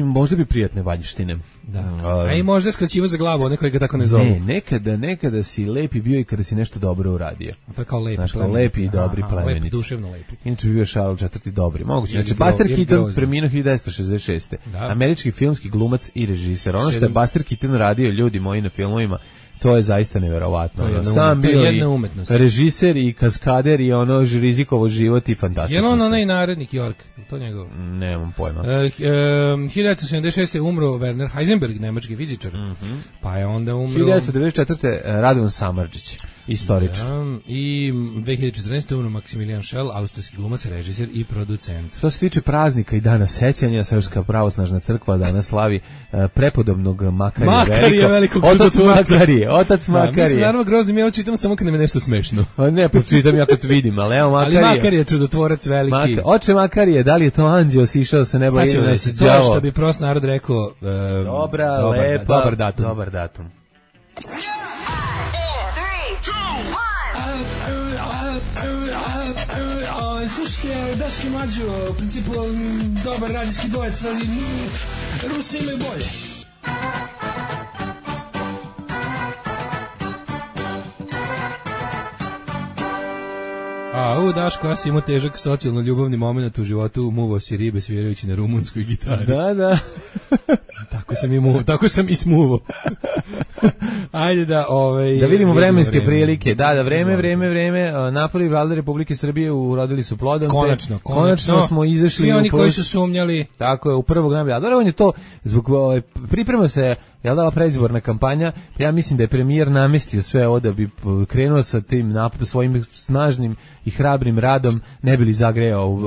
Možda bi prijatne vanjštine. Da. A i možda skraćivo za glavu, one koji ga tako ne zovu. Ne, nekada si lepi bio i kada si nešto dobro uradio. To je kao lepi. Znaš, lepi i dobri plemeniti. Lepi, duševno lepi. Inače bi bio Charles IV. Dobri. Moguće. Znači, Buster Keaton preminuo 1966. Američki filmski glumac i režiser. Ono što je Buster Keaton radio, ljudi moji, na filmovima, to je zaista neverovatno. Sam bio i režiser i kaskader i rizikovo život i fantastično. Je on onaj narednik York? To njegov? Nemam pojma. 1976. umro Werner Heisenberg, nemački fizičar. Pa je onda umro... 1994. Radovan Samardžić. istoričan. I 2014. umro Maximilian Schell, austrijski glumac, režiser i producent. Što se tiče praznika i dana sećanja, Srpska pravoslavna crkva danas slavi prepodobnog Makarija velikog Otac Makarije. Mislim, naravno, groznim, ja čitam samo kad nam je nešto smešno. Ne, počitam ja kad vidim, ali evo Makarije. Ali Makarije, čudotvorac veliki. Oče Makarije, da li je to anđeo sišao sa neba ili nas je đavo? To što bi prost narod rekao, dobar datum. Slušajte, Daški Mađo, u principu dobar radijski dvojec, ali Rusi imaju bolje. Daško, ja sam imao težak socijalno-ljubavni moment u životu, muvao si ribe svirajući na rumunskoj gitari. Da. Tako sam i smuvao. Ajde da da vidimo vremenske prilike. Da, vreme. Napoli Vlade Republike Srbije urodili su plodom. Konačno smo izašli. Svi oni koji su sumnjali. Tako je, u prvog najbolja. On je to zbog priprema se, jel da, predizborna kampanja, pa ja mislim da je premijer namestio sve ovo da bi krenuo sa tim svojim snažnim i hrabrim radom, ne bi li zagrejao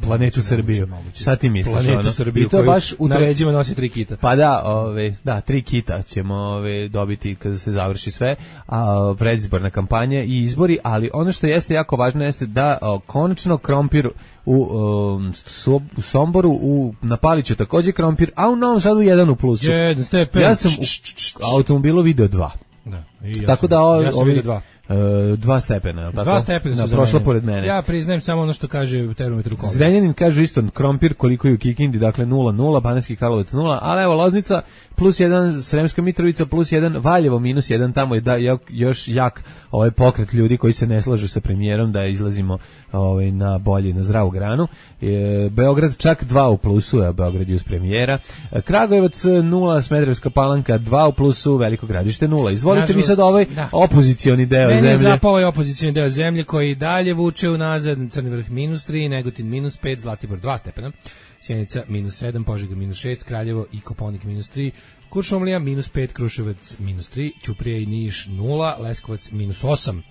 planetu Srbiju. Šta ti misliš? Planetu Srbiju, i to baš na leđima nosi 3 kita. Pa da, 3 kita ćemo dobiti kada se završi sve, predizborna kampanja i izbori, ali ono što jeste jako važno jeste da konačno krompir u Somboru, na Paliću također krompir, a u Novom Sadu 1 u plusu. Ja sam u automobilu video 2. Da, tako da ja sam vidio 2. 2 stepena, tako? 2 stepena su prošla pored mene. Ja priznajem samo ono što kaže termometru kombi. Zrenjanin kaže isto krompir koliko je u Kikindi, dakle 0,0, Banatski Karlovac 0, ali evo Loznica +1, Sremska Mitrovica +1, Valjevo -1, tamo je još jak pokret ljudi koji se ne slažu sa premijerom da izlazimo na bolje, na zdravu granu. Beograd čak 2 u plusu, Beograd je uz premijera. Kragujevac 0, Smederevska Palanka 2 u plusu, Veliko Gradište 0. Izvolite mi sad opozicioni deo zemlje. Mene je zapao ovaj opozicioni deo zemlje koji dalje vuče unazad. Crni Vrh -3, Negotin -5, Zlatibor 2 stepena, Sjenica -7, Požega -6, Kraljevo i Koponik -3, Kuršumlija -5, Kruševac -3, Ćuprija i Niš 0, Leskovac -8,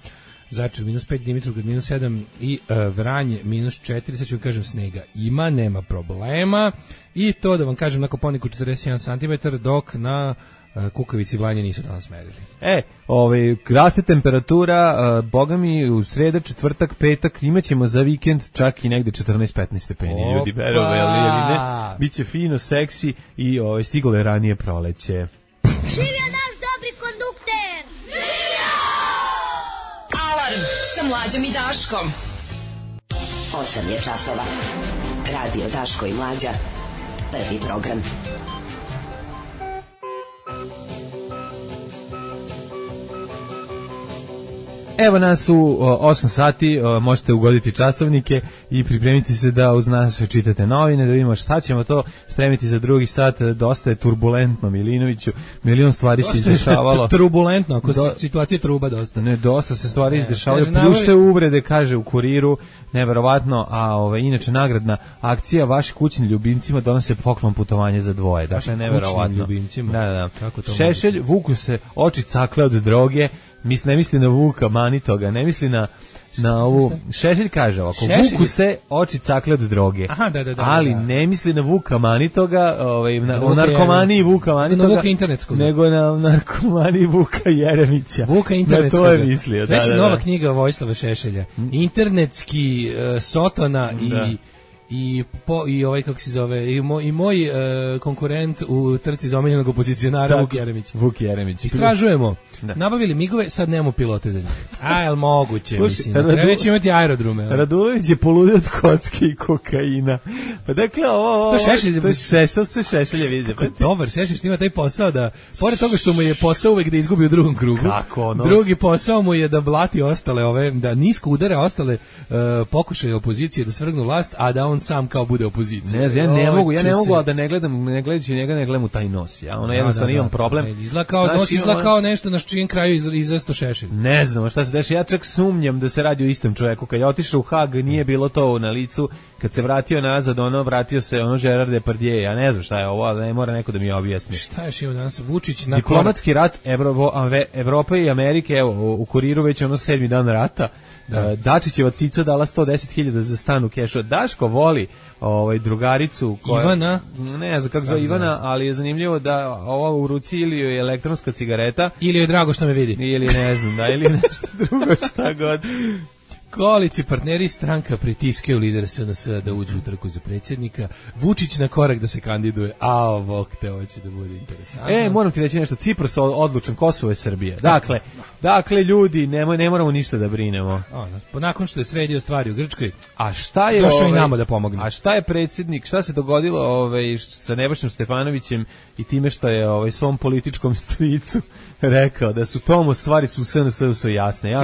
Zaječar -5, Dimitrovgrad -7 i Vranje -4. Sad ću vam kažem, snega ima, nema problema, i to da vam kažem na Koponiku 41 cm, dok na Kukavici Vlajnje nisu danas merili. Raste temperatura, boga mi u sreda, četvrtak, petak, imaćemo za vikend čak i negde 14-15 stepeni. Ljudi, ne? Biće fino, seksi i stiglo je ranije proleće. Živio naš dobri kondukter! Živio! Alarm sa Mlađom i Daškom. 8 je časova. Radio Daško i Mlađa. Prvi program. Evo nas u 8 sati, možete ugoditi časovnike i pripremiti se da uz nas čitate novine, da vidimo šta ćemo to spremiti za drugi sat. Dosta je turbulentno, Milinoviću, milion stvari se izdešavalo. Turbulentno, ako situacija truba dosta. Ne, dosta se stvari izdešavaju, pljušte uvrede, kaže u Kuriru, neverovatno, a inače nagradna akcija vaši kućni ljubimcima donose poklon putovanje za dvoje. Dakle, neverovatno. Kućnim ljubimcima? Da. Šešelj, vuku se oči cakle od droge, ne misli na Vuka Manitoga, ne misli na ovu. Šešelj kaže ovako, vuku se oči cakle od droge. Aha, da. Ali ne misli na Vuka Manitoga, na narkomaniji Vuka Manitoga, nego na narkomaniji Vuka Jeremića. Vuka internetskoga. Na to je mislio. Znači nova knjiga Vojislava Šešelja. Internetski Sotona i ovaj, kako se zove, i moj konkurent u trci za omiljenog opozicionara Vuk Jeremić. Istražujemo. Nabavili migove, sad nemamo pilote za njih. Jel moguće, mislim. Treba će imati aerodrome. Radulović je poludio od kocke i kokaina. Pa dakle, ovo... To je Šešelje vidi. Dobar, Šešelj što ima taj posao da, pored toga što mu je posao uvek da izgubi u drugom krugu, drugi posao mu je da blati ostale da nisko udara ostale pokušaje opozicije da svrgnu vlast, a da on sam kao bude opozicija. Ne znam, ja ne mogu da ne gledajući njega, ne gledam u taj nos. Ja jednostavno imam problem. Izgleda kao nešto na čijem kraju izasto šešelj. Ne znam šta se dešava. Ja čak sumnjam da se radi o istom čovjeku. Kad je otišao u Hag, nije bilo to na licu. Kad se vratio nazad, vratio se Gerard Depardieu. Ja ne znam šta je ovo, ali ne mora neko da mi objasni. Šta je šio danas? Vučić na diplomatski rat Evrope i Amerike, evo, u Kuriru već 7. dan rata. Dačićeva cica dala 110.000 za stan u kešu. Daško voli drugaricu koja, Ivana, ne znam kako zove Ivana, ali je zanimljivo da ova u ruci ili je elektronska cigareta ili je drago što me vidi ili ne znam, ili nešto drugo, šta god. Koalici partneri stranka pritiskaju lidera SNS da uđu u trku za predsjednika. Vučić na korak da se kandiduje. Ovo će da bude interesantno. Moram ti reći nešto. Cipras odlučan, Kosovo je Srbija. Dakle ljudi, ne moramo ništa da brinemo. Nakon što je sredio stvari u Grčkoj, a šta je došao i nama da pomogne. A šta je predsjednik, šta se dogodilo sa Nebojšom Stefanovićem i time što je svom političkom stricu rekao da su tomu stvari su SNS su jasne.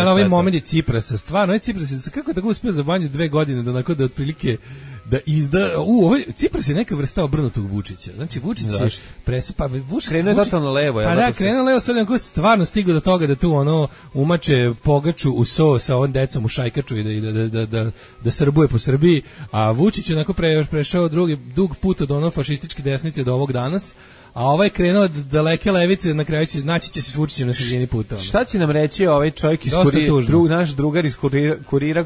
Ovaj moment Ciprasa, stvarno, Cipras kako tako uspio za manje 2 godine da onako da otprilike da izda, Cipras je neka vrsta obrnutog Vučića. Znači Vučić je krenuo totalno levo. Krenuo levo, sad je stvarno stigao do toga da tu umače pogaču u so sa ovom decom u šajkaču i da srbuje po Srbiji, a Vučić je onako prešao dug put od fašističke desnice do ovog danas. A ovaj krenuo od daleke levice, na kraju naći će se s Vučićem na sredini puta. Šta će nam reći ovaj čovjek iz naš drugar iz Kurira,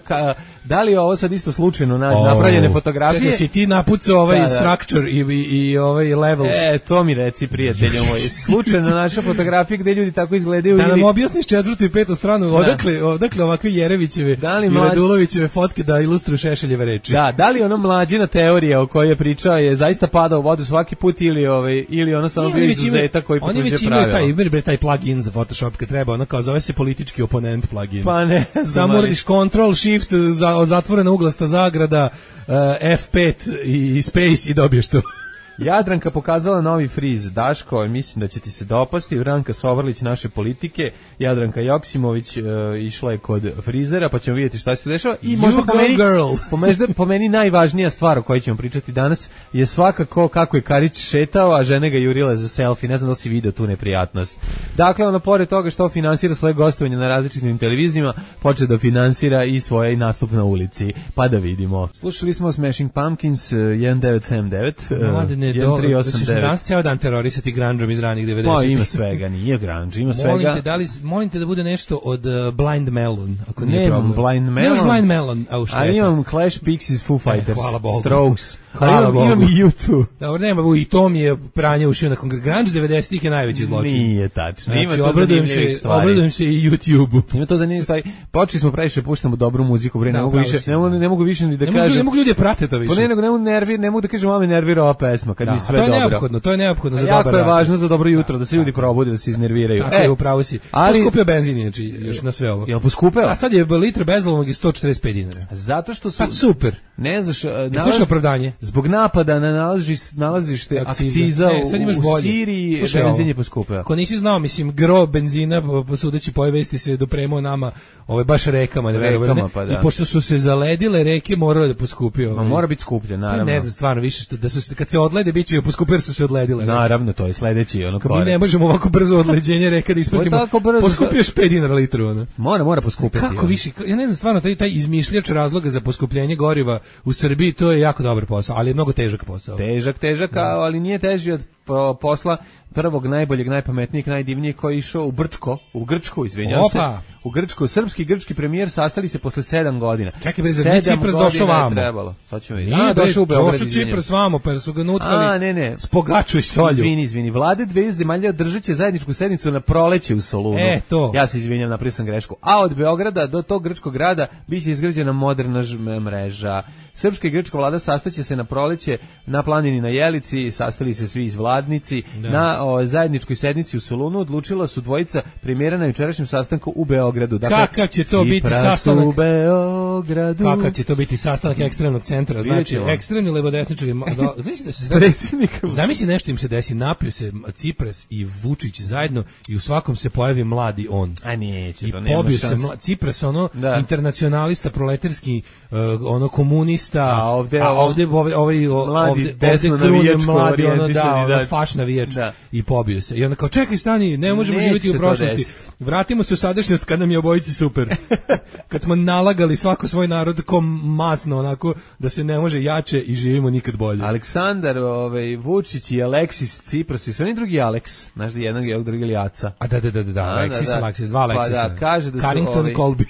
da li je ovo sad isto slučajno napravljene fotografije? Čekaj, si ti napucao structure i ovaj levels. To mi reci, prijatelji, ovo je slučajno naša fotografija gde ljudi tako izgledaju. Da nam objasniš 4. i 5. stranu, odakle ovakve Jerevićeve i Radulovićeve fotke da ilustruju Šešeljeve reči. Da li ono mlađina teorija o kojoj je pričao je zaista padao u vodu svaki put ili ono samo bio izuzetak koji potvrđuje pravila. Oni već imaju taj plugin za Photoshop kad treba, kao zove se politički oponent plugin. Pa ne znam. Samo uradiš Ctrl, Shift, zatvorena uglasta zagrada, F5 i Space i dobiješ to. Jadranka pokazala novi friz. Daško, mislim da će ti se dopasti. Ranka Sovrlić naše politike, Jadranka Joksimović išla je kod frizera, pa ćemo vidjeti šta se dešava. I možda po meni najvažnija stvar o kojoj ćemo pričati danas je svakako kako je Karić šetao, a žene ga jurile za selfie. Ne znam da li si vidio tu neprijatnost. Dakle, pored toga što finansira svoje gostovanje na različitim televizijama, počne da finansira i svoj nastup na ulici. Pa da vidimo. Slušali smo Smashing Pumpkins 1979. 1389. Danas cijel dan terorisati grungeom iz ranih 90. Pa ima svega, nije grunge, ima svega. Molim te da bude nešto od Blind Melon, ako nije problem. Blind Melon. Nemaš Blind Melon, ali imam Clash, Pixies, Foo Fighters, Strokes, hvala Bogu. Imam i U2. Dobro, nema, i to mi je pranje ušio na grunge 90-ih je najveći zločin. Nije tačno, znači, ima to zanimljivih stvari. Obradujem se i YouTube-u. Ima to zanimljivih stvari. Počeli smo previše, puštamo dobru muziku, ne mogu više ni da kažem. Ne mogu ljudi prate to više. Ne mogu da kažem, malo me nervira ova pesma, kad mi sve dobro. To je neophodno za dobar rad. Jako je važno za dobro jutro, da se ljudi probude, da se iznerviraju. Tako je, upravo si. Poskupio benzin, znači, još na sve ovo. Jel poskupeo? A sad je litra bezlovnog i 145 dinara. Zato što su... Pa super. Ne znaš... Slušaj opravdanje. Zbog napada na nalazište akciza u Siriji, benzin je poskupeo. Ako nisi znao, mislim, gro benzina, sudeći po vesti se dopremao nama, baš rekama, i pošto su se zaledile reke, moralo da poskupi. Mora biti skuplje, naravno. Ne znam, stvarno, više, kad se odlede, bit će poskupio, su se odledile. Naravno, to je sledeći mi ne možemo ovako brzo odleđenje reka da ispratimo. Poskupioš 5 dinara litru. Mora poskupiti. Kako više? Ja ne znam, stvarno, taj izmišljač razloga za poskupljenje goriva u Srbiji, to je jako dobar posao, ali je mnogo težak posao. Težak, ali nije teži od posla prvog, najboljeg, najpametnijeg, najdivnijeg koji je išao u Grčku, izvinjavam se. U Grčku, srpski i grčki premijer sastali se posle 7 godina. Čekaj, bre, zar Cipras došao vamo? Sad ćemo vidjeti. Došao u Beograd. Došao Cipras vamo, pa su ga nutkali s pogaču i solju. Izvini. Vlade dveju zemalja održat će zajedničku sednicu na proleće u Solunu. To. Ja se izvinjam, napravio sam grešku. A od Beograda do tog grčkog grada biće izgrađena moderna mreža. Srpska i grčka vlada sastaće se na proleće na planini na Jelici, sastali se svi izvladnici, na o zajedničkoj sednici u Solunu odlučila su dvojica premijera na jučerašnjem sastanku u Beogradu. Dakle, kakav će to biti sastanak u Beogradu? Kakav će to biti sastanak ekstremnog centra? Znači, ekstremni levodesničari... Zamisli nešto im se desi, napiju se Cipras i Vučić zajedno i u svakom se pojavi mladi on. A neće, to nema šanse. I pobio se Cipras, ono, internacionalista, proletarski, ono, komunista, a ovde krune mladi, ono, ono, faš navijač i pobio se. I onda kao, čekaj, stani, ne možemo živjeti u prošlosti. Vratimo se u sadašnjost kad nam je obojici super. Kad smo nalagali svako svoj narod ko masno, onako, da se ne može jače i živimo nikad bolje. Aleksandar Vučić i Aleksis Cipras i sve oni drugi Aleks, znaš da jednog je drugi Aca. A da, Aleksis, dva Aleksisa. Pa da, kaže da su Carrington Colby.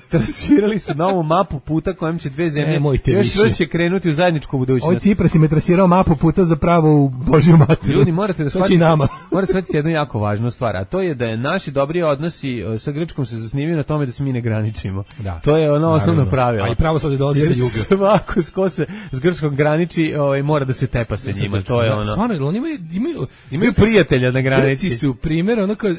Trasirali su novu mapu puta kojom će dve zemlje još će krenuti u zajedničku budućnost. Ovaj Cipras im je trasirao mapu puta zapravo u Božju materiju. Ljudi, morate da shvatiti jednu jako važnu stvar, a to je da je naši dobri odnosi sa Grčkom se zasnivaju na tome da se mi ne graničimo. Da. To je ono osnovno pravilo. A i pravoslavlje dolazi sa juga. Svako ko se s Grčkom graniči, mora da se tepa sa njima. To je ono. Stvarno, oni imaju prijatelja na granici. Grci su primjer ono kao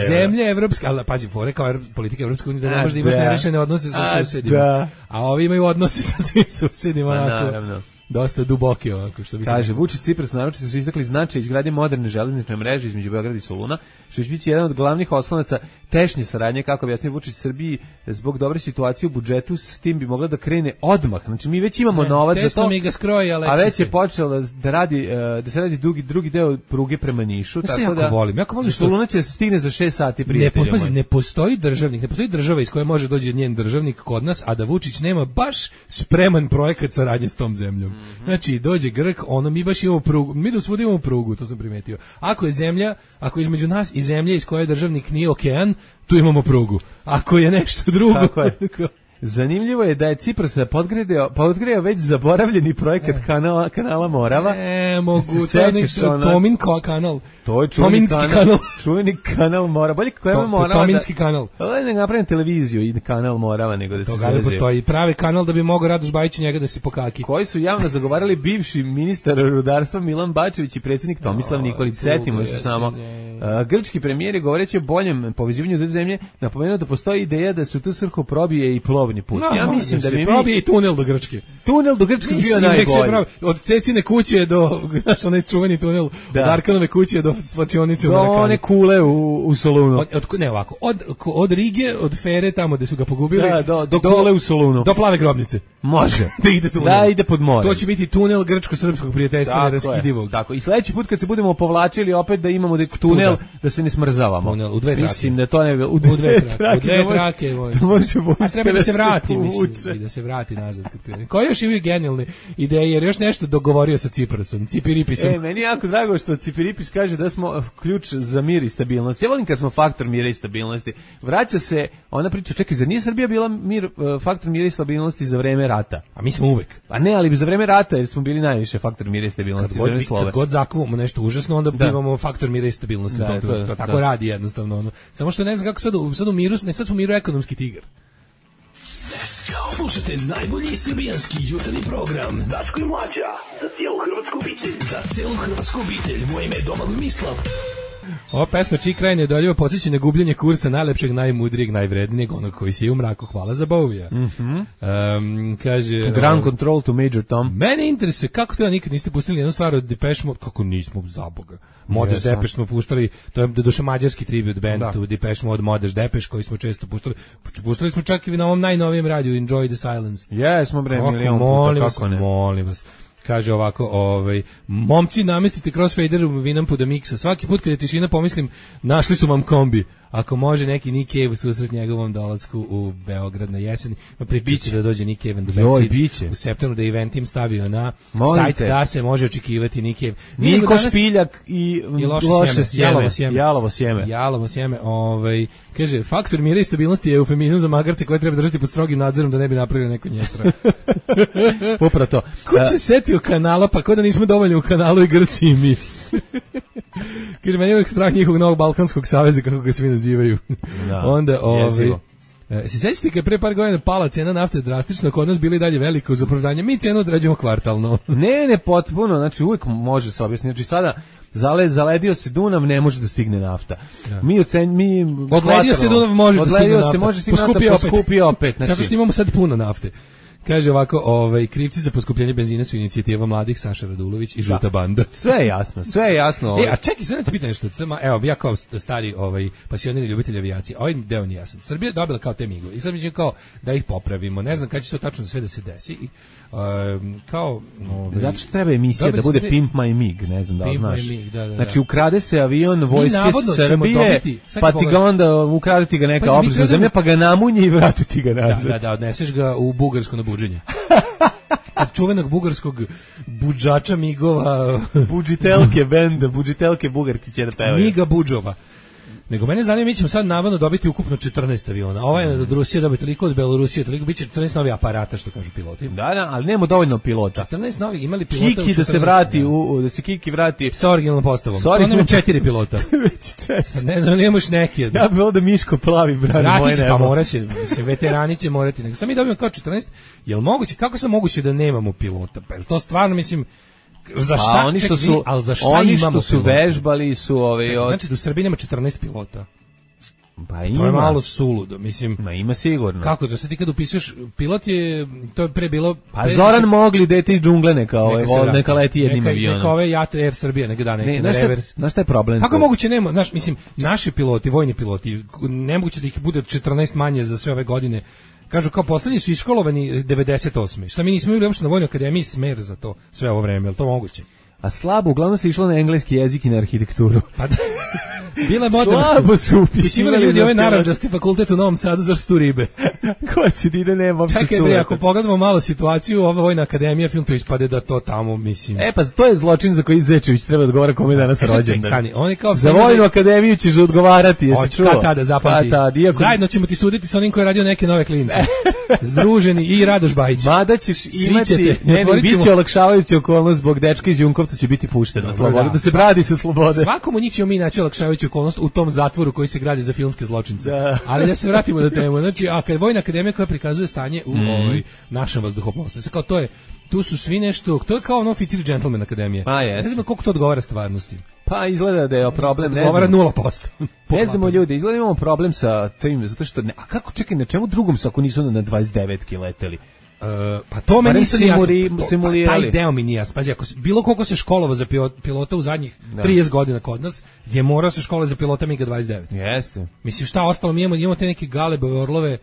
zemlje evropske, ali pađi, fore kao politika evropske da ne može da imaš nerešene odnose sa susedima. A ovi imaju odnose sa svim susedima, onako, dosta duboke, ovako, što bi se... Kaže, Vučić Cipras naročito su istakli značaj izgradnje moderne železnične mreže između Beograda i Soluna, što će biti jedan od glavnih oslonaca tešnje saradnje, kako objasnio Vučić Srbiji, zbog dobre situacije u budžetu, s tim bi mogla da krene odmah. Znači, mi već imamo novac za to, mi ga skroji, a već je počelo da se radi drugi deo pruge prema Nišu, tako da volim Soluna će se stigne za 6 sati, prijatelji moji. Ne postoji državnik, ne postoji država iz koje može doći njen državnik kod nas, a da Vučić nema baš spreman projekat saradnje s tom zemljom. Znači, dođe Grk, mi baš imamo prugu, mi dosvuda imamo prugu, to sam primetio. Ako je između nas i zemlje iz koje državnik nije okean, tu imamo prugu. Ako je nešto drugo... Tako je. Zanimljivo je da je Cipras podgreo već zaboravljeni projekat kanala Morava. Mogu, Tomin kanal. To je čuveni kanal Morava. Bolje kako je Morava. Tominski kanal. Ne napravim televiziju i kanal Morava, nego da se zazio. To postoji pravi kanal da bi mogao Radoš Bajić njega da se pokaki. Koji su javno zagovarali bivši ministar rudarstva Milan Bačević i predsjednik Tomislav Nikolić. Setimo se samo. Grčki premijer je govoreći o boljem povezivanju dve zemlje napomenuo da postoji ideja da se u tu svrhu probije i plovni put. Ja mislim da bi probije i tunel do Grčke. Tunel do Grčke bio najbolji. Od Cecine kuće do, znaš, onaj čuveni tunel, od Arkanove kuće do svačionice u Marakani. Do one kule u Solunu. Ne ovako, od Rige, od Fere, tamo gde su ga pogubili, do kule u Solunu. Do Plave grobnice. Može. Da ide tunel. Da ide pod more. To će biti tunel grčko-srpskog prijateljstva neraskidivog. Tako. I sledeći put kad se budemo povlačili opet da imamo tunel da se ne smrzavamo. Tunel u dve trake. Mislim da to ne u dve trake. A treba da se vrati, mislim, i da se vrati nazad. Koji još imaju genijalne ideje, jer još nešto dogovorio sa Ciprasom, Cipiripisom. Meni je jako drago što Cipiripis kaže da smo ključ za mir i stabilnost. Ja volim kad smo faktor mira i stabilnosti. Vraća se ona priča, čekaj, zar nije Srbija bila faktor mira i stabilnosti za vreme rata? A mi smo uvek. A ne, ali za vreme rata jer smo bili najviše faktor mira i stabilnosti. Kad god zakuvamo nešto užasno, onda bivamo faktor mira i stabilnosti. To tako radi jednostavno. Samo što ne znam kako sad u miru, ne sad smo u miru ekonomski tigar. Slušajte najbolji srbijanski jutarnji program Daško i Mlađa za cijelu hrvatsku obitelj. Za cijelu hrvatsku obitelj. Moje ime je Domagoj Mislav. Ova pesma čiji kraj nedoljivo podsjeća na gubljenje kursa najlepšeg, najmudrijeg, najvrednijeg, onog koji si u mraku. Hvala za Bovija. Kaže... Ground Control to Major Tom. Mene interesuje kako to nikad niste pustili jednu stvar od Depeche Mode. Kako nismo, za Boga. Modeš Depeche smo puštali, to je doduše mađarski tribute band to Depeche Mode, Modeš Depeche koji smo često puštali. Puštali smo čak i na ovom najnovijem radiju Enjoy the Silence. Jesmo bre, milion puta, kako ne. Molim vas. Kaže ovako, momci namestite crossfader u Vinampu da miksa. Svaki put kad je tišina pomislim, našli su vam kombi. Ako može neki Nick Cave u susret njegovom dolasku u Beograd na jesen, pripiće da dođe Nick Cave do Beograd u septembru, da Eventim stavio na sajt da se može očekivati Nick Cave. Niko Špiljak i loše sjeme. Jalovo sjeme. Kaže, faktor mira i stabilnosti je eufemizam za magarce koje treba držati pod strogim nadzorom da ne bi napravili neko njesra. Upravo to. Ko se setio kanala, pa ko da nismo dovoljni u kanalu i Grci i mi. Kaže, meni je uvijek strah njihovog novog Balkanskog saveza, kako ga svi nazivaju. Onda, se sjećate kad pre par godina pala cena nafte drastično, kod nas bili dalje velika uz opravdanje, mi cenu određujemo kvartalno. Ne, potpuno, znači uvijek može se objasniti. Znači sada Zaledio se Dunav, ne može da stigne nafta. Da. Odledio se Dunav, može da stigne nafta. Može stigne nafta, poskupi opet. Znači, zato što imamo sad puno nafte. Kaže ovako, krivci za poskupljenje benzina su inicijativa mladih Saša Radulović i žuta banda. Sve je jasno. A čekaj, sad da te pitam nešto. Evo, ja kao stari pasionirani ljubitelj avijacije, ovaj deo nije jasan. Srbija je dobila kao te migove i sad mi će kao da ih popravimo. Ne znam kada će to tačno sve da se desi. Zato što treba emisija da bude Pimp My Mig, ne znam da li znaš. Da. Znači, ukrade se avion vojske Srbije, pa ti ga onda ukraditi ga neka obližna zemlja, pa ga namunji i vratiti ga nazad. Da, odneseš ga u Bugarsku na buđenje. Od čuvenog bugarskog buđača migova. Budžitelke bugarki će da pevaju. Miga Buđova. Nego mene zanima, mi ćemo sad navodno dobiti ukupno 14 aviona. Ovaj je od Rusije dobiti toliko, od Belorusije toliko, bit će 14 novi aparata, što kažu piloti. Da, ali nema dovoljno pilota. 14 novih, imali pilota Kiki da se vrati, da se Kiki vrati. Sa originalnom postavom. To nema 4 pilota. Ne znam, nemaš neki. Ja bih da Miško plavi brani moje nebo. Pa moraće, veterani će morati. Nego sam mi dobijemo kao 14, jel moguće, kako sam moguće da nemamo pilota? Pa to stvarno, mislim, za šta? Oni što su, oni što su vežbali su Znači da u Srbiji nema 14 pilota. Pa ima. To je malo suludo, mislim. Ma ima sigurno. Kako to sad ti kad upišeš pilot je, to je pre bilo. Pa Zoran mogli dete iz džungle neka leti jednim avionom. Neka ove Jat Air Srbija neka da neki revers. Znaš šta je problem? Kako moguće nema, znaš, mislim, naši piloti, vojni piloti, nemoguće da ih bude 14 manje za sve ove godine. Kažu kao poslednji su iškolovani 98. Šta mi nismo bili uopšte na vojnoj akademiji smer za to sve ovo vreme, je li to moguće? A slabo, uglavnom se išlo na engleski jezik i na arhitekturu. Pa da. Bila je moderna. Slabo su upisivali ljudi ovaj narandžasti fakultet u Novom Sadu za što ribe. Ko će da ide nema uopšte čekaj bre, ako pogledamo malo situaciju, ova vojna akademija, film to ispade da to tamo, mislim. Pa to je zločin za koji Zečević treba odgovara kome danas rođendan. Oni kao za vojnu akademiju ćeš odgovarati, jesi čuo? Tada zapamti. Zajedno ćemo ti suditi sa onim koji je radio neke nove klince. Združeni i Radoš Bajić. Mada ćeš imati, biće olakšavajuća okolnost zbog dečka iz Junkovca će biti pušten na slobodu, da se bradi sa slobode. Svakom od njih ćemo mi naći olakšavajuću okolnost u tom zatvoru koji se gradi za filmske zločince. Ali da se vratimo na temu. Znači, kad vojna akademija koja prikazuje stanje u našem vazduhoplovstvu, kao to je, tu su svi nešto, to je kao ono oficir džentlmen akademija. Ne znam koliko to odgovara stvarnosti. Pa izgleda da je problem, odgovara 0%. Ne znamo ljudi, izgleda imamo problem sa tim, zato što, a kako, čekaj, na čemu drugom su ako nisu na 29 leteli? Pa to me nisam simulirali. Taj deo mi nije jasno. Pazi, ako bilo koliko se školovao za pilota u zadnjih 30 godina kod nas, je morao se školovati za pilota MiG-29. Jeste. Mislim, šta ostalo, mi imamo te neke galebove orlove.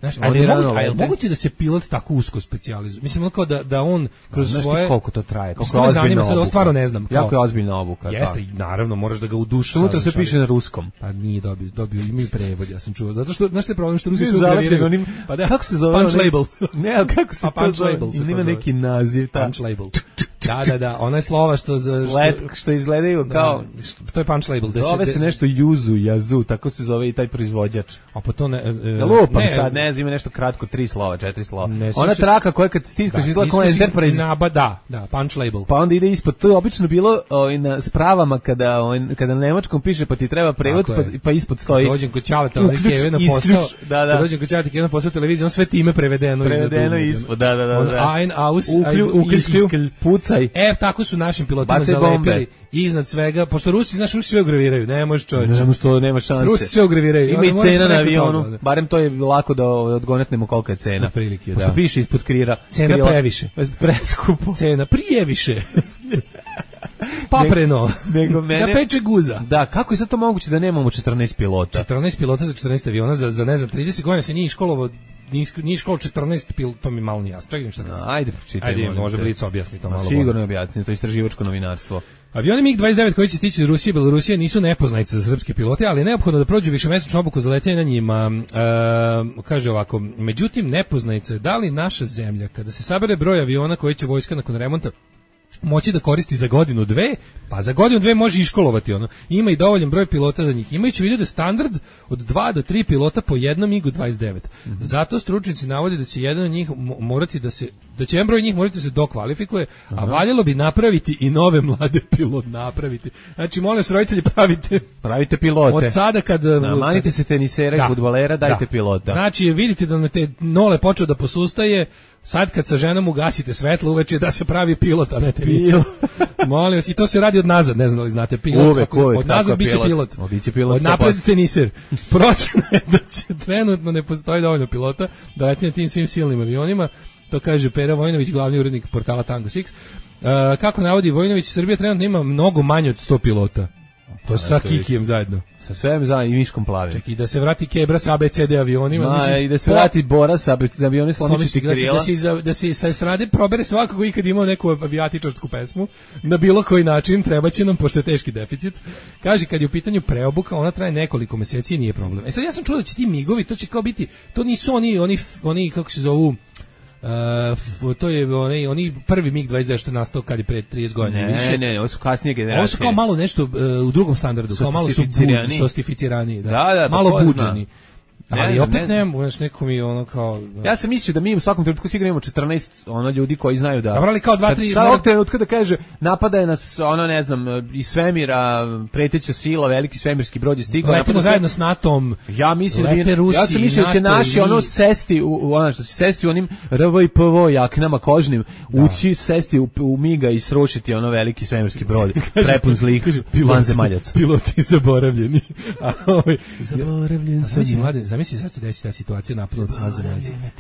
Znaš, ali moguće da se pilot tako usko specijalizuje? Mislim, kao da on kroz svoje... Znaš ti koliko to traje? Koliko je ozbiljna obuka? Sad, stvarno ne znam. Jako je ozbiljna obuka. Jeste, i naravno, moraš da ga u dušu... Unutra se piše na ruskom. Pa nije dobio, imaju prevod, ja sam čuo. Zato što, znaš te problem, što Rusi su graviraju. Pa da, kako se zove? Punch label. Ne, ali kako se to zove? Ima neki naziv. Punch label. Da, ona je slova što izgledaju kao... To je punch label. Zove se nešto Jazu, tako se zove i taj proizvođač. A pa to ne... Lupam sad, ne znam, ima nešto kratko, 3 slova, 4 slova. Ona traka koja kad stiskaš izgleda kao Enterprise. Da, punch label. Pa onda ide ispod, to je obično bilo na spravama kada na nemačkom piše pa ti treba prevod, pa ispod stoji. Dođem kod Ćaleta, Keve na posao. Dođem kod Ćaleta, Keve na posao televizije, on sve time prevedeno ispod. Da. Ein, aus, pucaj. Tako su našim pilotima zalepili iznad svega, pošto Rusi sve ugraviraju, ne može čovječe. Ne znam što nema šanse. Rusi sve ugraviraju. Ima i cena na avionu, barem to je lako da odgonetnemo kolika je cena. Prilike, pošto piše ispod krira. Cena previše. Preskupo. Cena prijeviše. Papreno. Da peče guza. Da, kako je sad to moguće da nemamo 14 pilota? 14 pilota za 14 aviona, za ne znam, 30 godina se nije školovao. Nije školo 14 pilota, to mi malo nije jasno. Čekaj šta kažem. Ajde, pročitaj. Ajde, može Blic objasni to malo. Sigurno objasni, to je istraživačko novinarstvo. Avioni MiG-29 koji će stići iz Rusije i Belorusije nisu nepoznanice za srpske pilote, ali je neophodno da prođu višemesečnu obuku za letenje na njima. Kaže ovako, međutim, nepoznanice je da li naša zemlja, kada se sabere broj aviona koji će vojska nakon remonta moći da koristi za godinu, dve, pa za godinu, dve može iškolovati ono. Ima i dovoljan broj pilota za njih. Imajući vidio da je standard od 2 do 3 pilota po jednom MiG-29. Zato stručnjaci navode da će jedan od njih morati da se da će jedan broj njih morati se dokvalifikuje, a valjalo bi napraviti i nove mlade pilote napraviti. Znači, molim vas, roditelji, pravite pilote. Od sada manite se tenisera i fudbalera, dajte pilota. Znači, vidite da na te nole počeo da posustaje, sad kad sa ženom ugasite svetlo uveče da se pravi pilot, a ne tenisir. Molim vas, i to se radi od nazad, ne znam li znate, pilot. Uvek, od nazad biće pilot. Od napred tenisir. Procena je da će trenutno ne postoji dovoljno pilota da leti na tim svim silnim avionima. To kaže Pera Vojinović, glavni urednik portala Tango 6. Kako navodi Vojinović, Srbija trenutno ima mnogo manje od 100 pilota. To sa Kikijem zajedno. Sa svem zajedno i Miškom Plavim. Čekaj, da se vrati Kebra sa ABCD avionima. I da se vrati Bora sa ABCD avionima sloničiti krila. Da se sa estrade probere svako koji kad imao neku avijatičarsku pesmu, na bilo koji način trebaće nam, pošto je teški deficit. Kaže, kad je u pitanju preobuka, ona traje nekoliko meseci i nije problem. Sad ja sam čuo da će ti migovi, to će kao biti, to nisu oni kako se zovu, to je oni prvi MiG-29 što je nastao kad je pre 30 godina više. Ne, ovo su kasnije generacije. Ovo su kao malo nešto u drugom standardu, kao malo su sostificirani, malo buđeni. Ali opet nemam, neko mi ono kao... Ja sam mislio da mi u svakom trenutku sigurno imamo 14 ljudi koji znaju da... Dobro, ali kao 2-3... Sad ovog trenutka da kaže, napada je nas, ne znam, iz svemira, preteća sila, veliki svemirski brod je stigao... Letimo zajedno s NATO-om, ja mislim lete Rusi, ja sam mislio da će naši sesti, što će sesti u onim RV i PV jaknama kožnim, ući, sesti u miga i srušiti veliki svemirski brod, prepun zlih vanzemaljaca. Piloti zaboravljeni. Zaboravljen sam. Zamisli sad se desi ta situacija,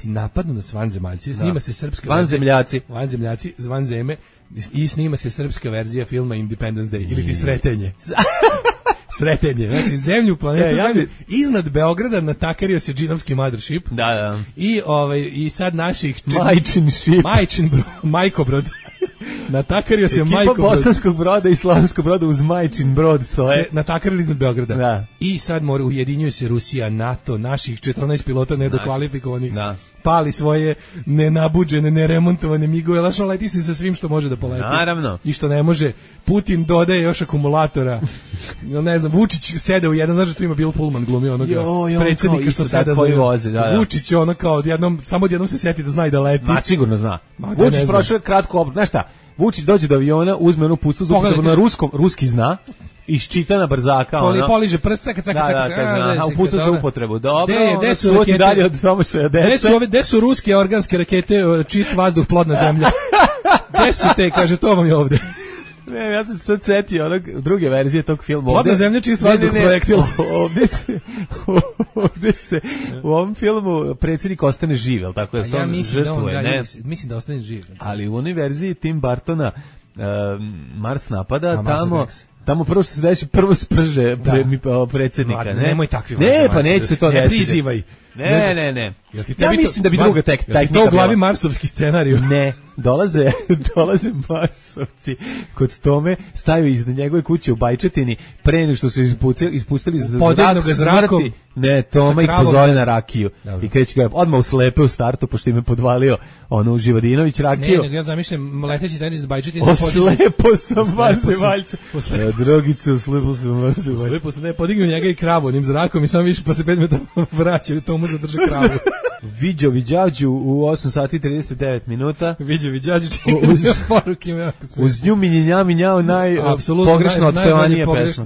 napadnu na vanzemaljci, snima se srpska vanzemljaci, vanzeme, i snima se srpska verzija filma Independence Day, ili ti Sretenje, znači zemlju, planetu, zemlju, iznad Beograda natakario se džinovski mothership. Da. I sad naših... Majkobrod. Natakario se Majkobrod. Ekipa Bosanskog Broda i Slavonskog Broda uz Majčin Brod stoje. Se natakarili iznad Beograda. Da. I sad ujedinjuje se Rusija, NATO, naših 14 pilota nedokvalifikovanih. Da. Pali svoje nenabuđene, neremontovane migove, lašno leti se sa svim što može da poleti. Naravno. I što ne može. Putin dodaje još akumulatora. Ne znam, Vučić sede u jedan, znaš da tu ima Bill Pullman glumio onoga predsjednika što sada vozi. Vučić je ono kao samo odjednom se seti da zna i da leti. Ma sigurno zna. Vučić prošao kratko obrat. Znaš šta? Vučić dođe do aviona, uzme onu pustu zupu, na ruski zna, iščita na brzaka. Poliže prste, kad upustu za upotrebu. Dobro, gde su rakete? Dalje od domaćaja deca. Gde su ruske organske rakete, čist vazduh, plodna zemlja? Gde su te, kaže, to vam je ovde. Ne, ja sam se sad setio druge verzije tog filma. Plodna zemlja, čist vazduh, projektil. Ovde se u ovom filmu predsjednik ostane živ, ali tako je sam žrtvuje. Mislim da ostane živ. Ali u onoj verziji Tim Burtona Mars napada, tamo prvo se desi, prvo sprže predsjednika. Nemoj takvi. Ne, pa neće se to desiti. Ne prizivaj. Ne. Ja mislim da bi druga tehnika bila. To u glavi marsovski scenariju. Ne, dolaze marsovci kod Tome, staju iznad njegove kuće u Bajčetini, pre nego što su ispustili zrakom. Ne, Toma ih pozove na rakiju. I kreće ga odmah uslepe u startu, pošto im je podvalio Živodinović rakiju. Ne, ja zamišljam leteći tenis da Bajčetini. Oslepo sam vanzemaljca. Drogice, oslepo sam vanzemaljca. Oslepo sam, ne, podignu njega i kravu onim zrakom i samo više posle 5 minuta vraćaju Tomu zadrže kravu. Viđo Viđađu u 8 sati 39 minuta. Viđo Viđađu uz nju minjao pogrešno otpevanije pesma.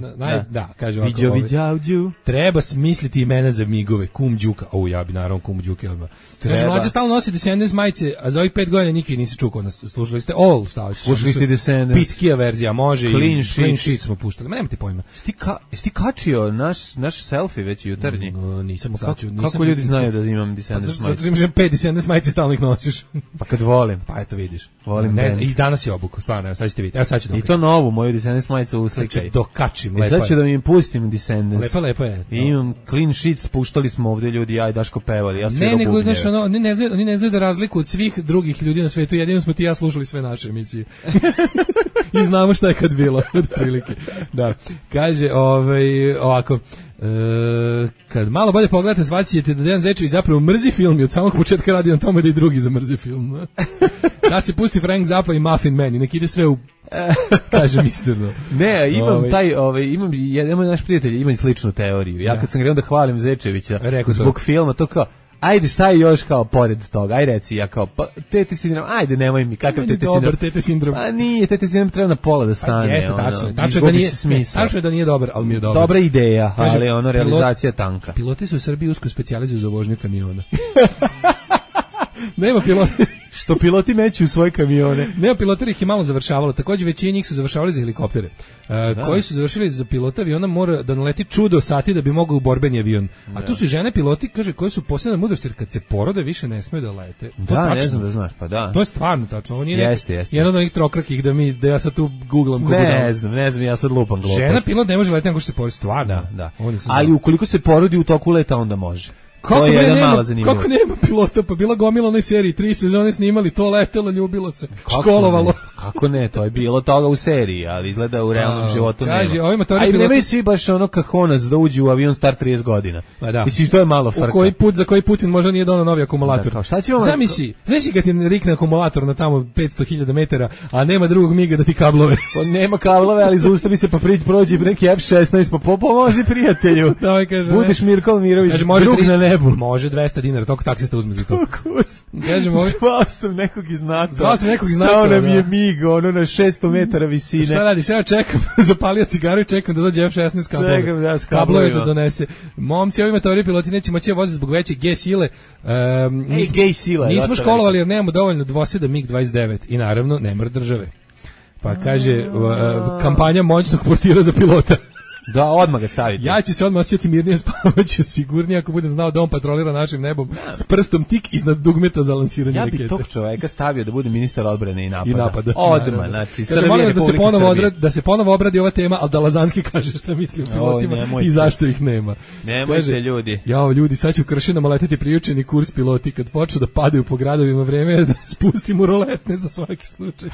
Da, kaže ovako. Viđo Viđađu. Treba smisliti imena za migove. Kum Đuka. Ja bi naravno Kum Đuke odmah. Kaže, mlađa stalno nosi Descendants majice, a za ovih 5 godina nikad nisi čuo kod nas. Slušali ste All, šta hoćeš? Slušali ste Descendants. Piskija verzija, može i Clean Sheet smo puštali. Ma nemate pojma. Jesi ti kačio naš selfie već jutarnji? Nisam kačio. Kako ljudi znaju da imam Descendants majice? Zato imaš 5 Descendants majice, stalno ih nosiš. Pa kad volim. Pa eto vidiš. Volim i danas je obuko, stvarno, sad ćete vidjeti. Evo sad ću I to novu, moju Descendants majicu uslikaj. Dokačim, lepo je. Sad ću da mi pustim Descendants. Lepo je. I imam Clean Sheets, puštali smo ovdje ljudi, ja i Daško pevali. Ja oni ne znaju da razliku od svih drugih ljudi na svetu, jedino smo ti ja slušali sve naše emisije. I znamo šta je kad bilo, od prilike. Da, kaže, ovako, kad malo bolje pogledate, shvaćate da Dejan Zečević zapravo mrzi film i od samog početka radi na tome da i drugi zamrzi film. Da se pusti Frank Zappa i Muffin Man i nek ide sve u kažem istorno. Ne, imam jedan naš prijatelj ima sličnu teoriju. Ja kad sam krenuo da hvalim Zečevića zbog filma, to kao Ajde, šta je još kao pored toga? Aj reci, ja kao, pa, tete sindrom, ajde, nemoj mi, kakav tete sindrom? Dobar tete sindrom. A nije, tete sindrom treba na pola da stane. Jeste, tačno je da nije dobar, ali mi je dobar. Dobra ideja, ali ono, realizacija tanka. Piloti su u Srbiji usko specijalizuju za vožnju kamiona. Nema pilota. Što piloti meću u svoje kamione. Nema pilota, ih je malo završavalo. Takođe većina njih su završavali za helikoptere. Koji su završili za pilota aviona mora da naleti čudo sati da bi mogao u borbeni avion. A tu su žene piloti, kaže, koje su posebna mudrost, jer kad se porode više ne smeju da lete. Da, ne znam da znaš, pa da. To je stvarno tačno. Ovo nije jeste. Jedan od onih trokrakih da ja sad tu googlam kako ne znam, ja sad lupam glupost. Žena pilot ne može leteti nego što se porodi, stvarno. Da. Ali ukoliko se porodi u toku leta, onda može. Kako nema pilota, pa bila gomila onoj seriji, 3 sezone snimali, to letelo, ljubilo se, školovalo. Kako ne, to je bilo toga u seriji, ali izgleda u realnom životu nema. A i nemaju svi baš ono kahonac da uđu u avion star 30 godina. Mislim, to je malo frka. Za koji Putin možda nije donao novi akumulator. Zamisli kad ti rikne akumulator na tamo 500.000 metara, a nema drugog miga da ti kablove. Pa nema kablove, ali zaustavi se pa prođi neki F-16, pa pomozi prijatelju. Budeš Mirko Mirović, drug na nebu. Može 200 dinara, toliko taksista uzme za to. Zvao sam nekog iz NATO. Stao nam je mig, ono na 600 metara visine. Šta radiš? Ja čekam, zapalio cigaru i čekam da dođe F-16 kablove. Čekam da s kablove da donese. Momci, ovi teorije piloti neće moći voziti zbog veće G sile. G sila. Nismo školovali jer nemamo dovoljno dvoseda MiG-29 i naravno nemar države. Pa kaže, kampanja moćnog portira za pilota. Da, odmah ga stavite. Ja ću se odmah osjećati mirnije, spavaću sigurnije ako budem znao da on patrolira našim nebom s prstom tik iznad dugmeta za lansiranje rakete. Ja bi tog čoveka stavio da bude ministar odbrane i napada. Odmah, znači, Srbija, da se ponovo obradi ova tema, ali da Lazanski kaže šta misli o pilotima i zašto ih nema. Nemojte, ljudi. Jao, ljudi, sad ću Kršinama leteti priučeni kurs piloti, kad počnu da padaju po gradovima, vreme je da spustimo roletne za svaki slučaj.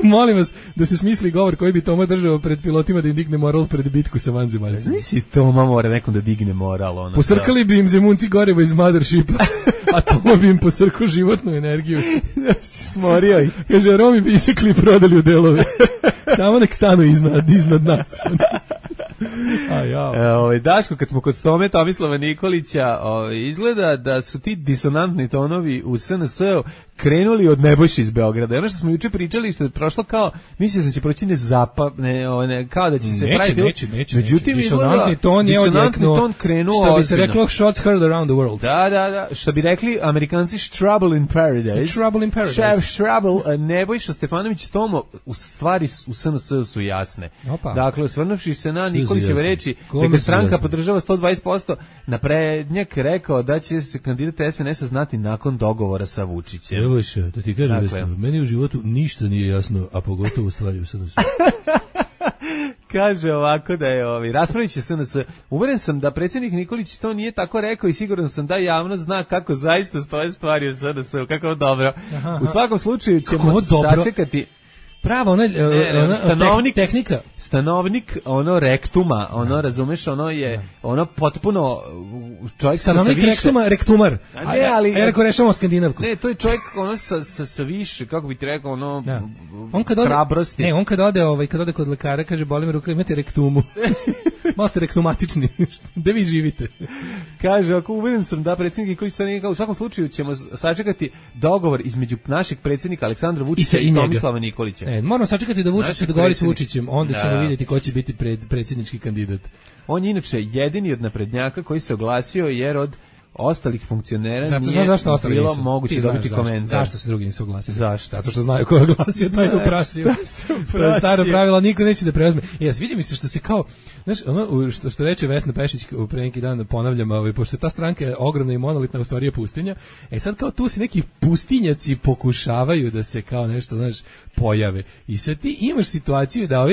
Molim vas da se smisli govor koji bi Toma držao pred pilotima da im digne moral pred bitku sa vanzemaljcima. Nisi Toma mora nekom da digne moral. Posrkali bi im zemunci gorivo iz Mothershipa, a Toma bi im posrkao životnu energiju. Smorio ih. Kaže, Romi bi isekli i prodali u delove. Samo nek stanu iznad nas. Daško, kad smo kod Tome Tomislava Nikolića, izgleda da su ti disonantni tonovi u SNS-u krenuli od Nebojše iz Beograda. Ono što smo juče pričali, što je prošlo kao, mislio da će proći kao da će se praviti. Neće. Međutim, disonantni ton je odjeknuo, što bi se reklo, shots heard around the world. Da. Što bi rekli Amerikanci, trouble in paradise. Nebojša Stefanović Tomo, u stvari u SNS-u su jasne. Dakle, osvrnuvši se na Nikolićeve reči, da ga stranka podržava 120%, naprednjak rekao da će se kandidat SNS-a znati nakon dogovora sa Vučićem. Evo še, da ti kažem, meni u životu ništa nije jasno, a pogotovo u stvari u SNS-u. Kaže ovako da je raspravit će SNS. Uveren sam da predsjednik Nikolić to nije tako rekao i siguran sam da javnost zna kako zaista stoje stvari u SNS-u. Kako dobro. U svakom slučaju ćemo sačekati. Pravo, tehnika. Stanovnik, rektuma, razumeš, je, potpuno, čovjek stanovnik rektumar. Ja rekao rešamo skandinavku. Ne, to je čovjek, sa više, kako bi ti rekao, hrabrosti. Ne, on kad ode kod lekara, kaže, boli me ruka, imate rektumu. Malo ste rektumatični, gde vi živite? Kaže, ako uveren sam da predsjednik Nikolić u svakom slučaju ćemo sačekati dogovor između našeg predsjednika Aleksandra Vučića i Tomislava Nikolića. Moramo sačekati da Vučić se dogovori s Vučićem, onda ćemo vidjeti ko će biti predsjednički kandidat. On je inače jedini od naprednjaka koji se oglasio jer od ostalih funkcionera nije bilo moguće dobiti komentar. Zašto se drugi nisu oglasili? Zašto? Zato što znaju ko je oglasio, taj je uprasio. To je staro pravilo, niko neće da preuzme. Sviđa mi se što se kao, znaš, što reče Vesna Pešić pre neki dan, ponavljam, pošto ta stranka je ogromna i monolitna, u stvari je pustinja, sad kao tu se neki pustinjaci pokušavaju da se kao nešto, znaš, pojave. I sad ti imaš situaciju da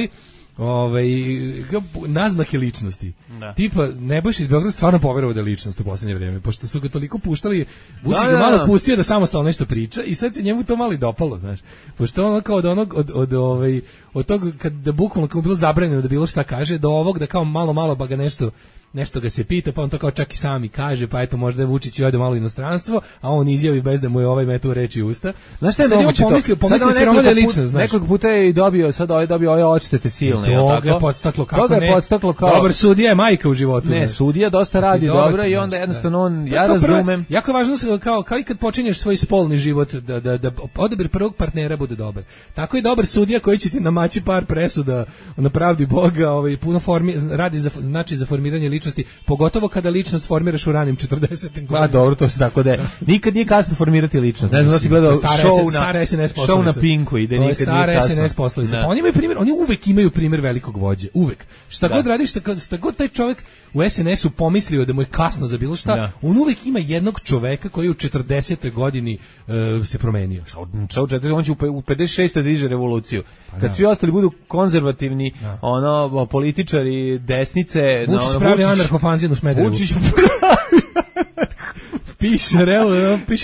naznake ličnosti. Tipa, Nebojša iz Beograda stvarno poverovao da je ličnost u posljednje vrijeme, pošto su ga toliko puštali, Vučić ga malo pustio da samostalno nešto priča i sad se njemu to malo i dopalo, znaš. Pošto ono kao od tog, kad da bukvalno kao bilo zabranjeno da bilo šta kaže, do ovog da kao malo ba ga nešto nešto ga se pita, pa on to kao čak i sami kaže, pa eto možda je Vučić ode malo u inostranstvo, a on izjavi bez da mu je ovaj metu reči u usta. Znaš šta je moguće to? Pomislio se Roman je lično, znaš. Nekoliko puta je i dobio, sad ovaj dobio ove odštete silne, je tako? Toga je podstaklo, kako ne? Dobar sudija je majka u životu. Ne, sudija dosta radi dobro i onda jednostavno on, ja razumem. Jako je važno kao i kad počinješ svoj spolni život da odabir prvog partnera bude dobar. Tako je dobar sudija koji će ti namaći par presuda na pravdi Boga, puno radi za formiranje ličnosti, pogotovo kada ličnost formiraš u ranim 40-im godinama. Dobro, to se tako da je. Nikad nije kasno formirati ličnost. Ne znam da si gledao show na Pinku i da nikad nije kasno. Stara SNS poslovica. Oni uvek imaju primjer velikog vođe. Uvek. Šta god radiš, šta god taj čovjek u SNS-u pomislio da mu je kasno za bilo šta, on uvek ima jednog čoveka koji u 40. godini se promenio. On će u 56. da diže revoluciju. Kad svi ostali budu konzervativni, političari desnice, Vučić pravi anarhofanzin u Smederevu. Vučić piše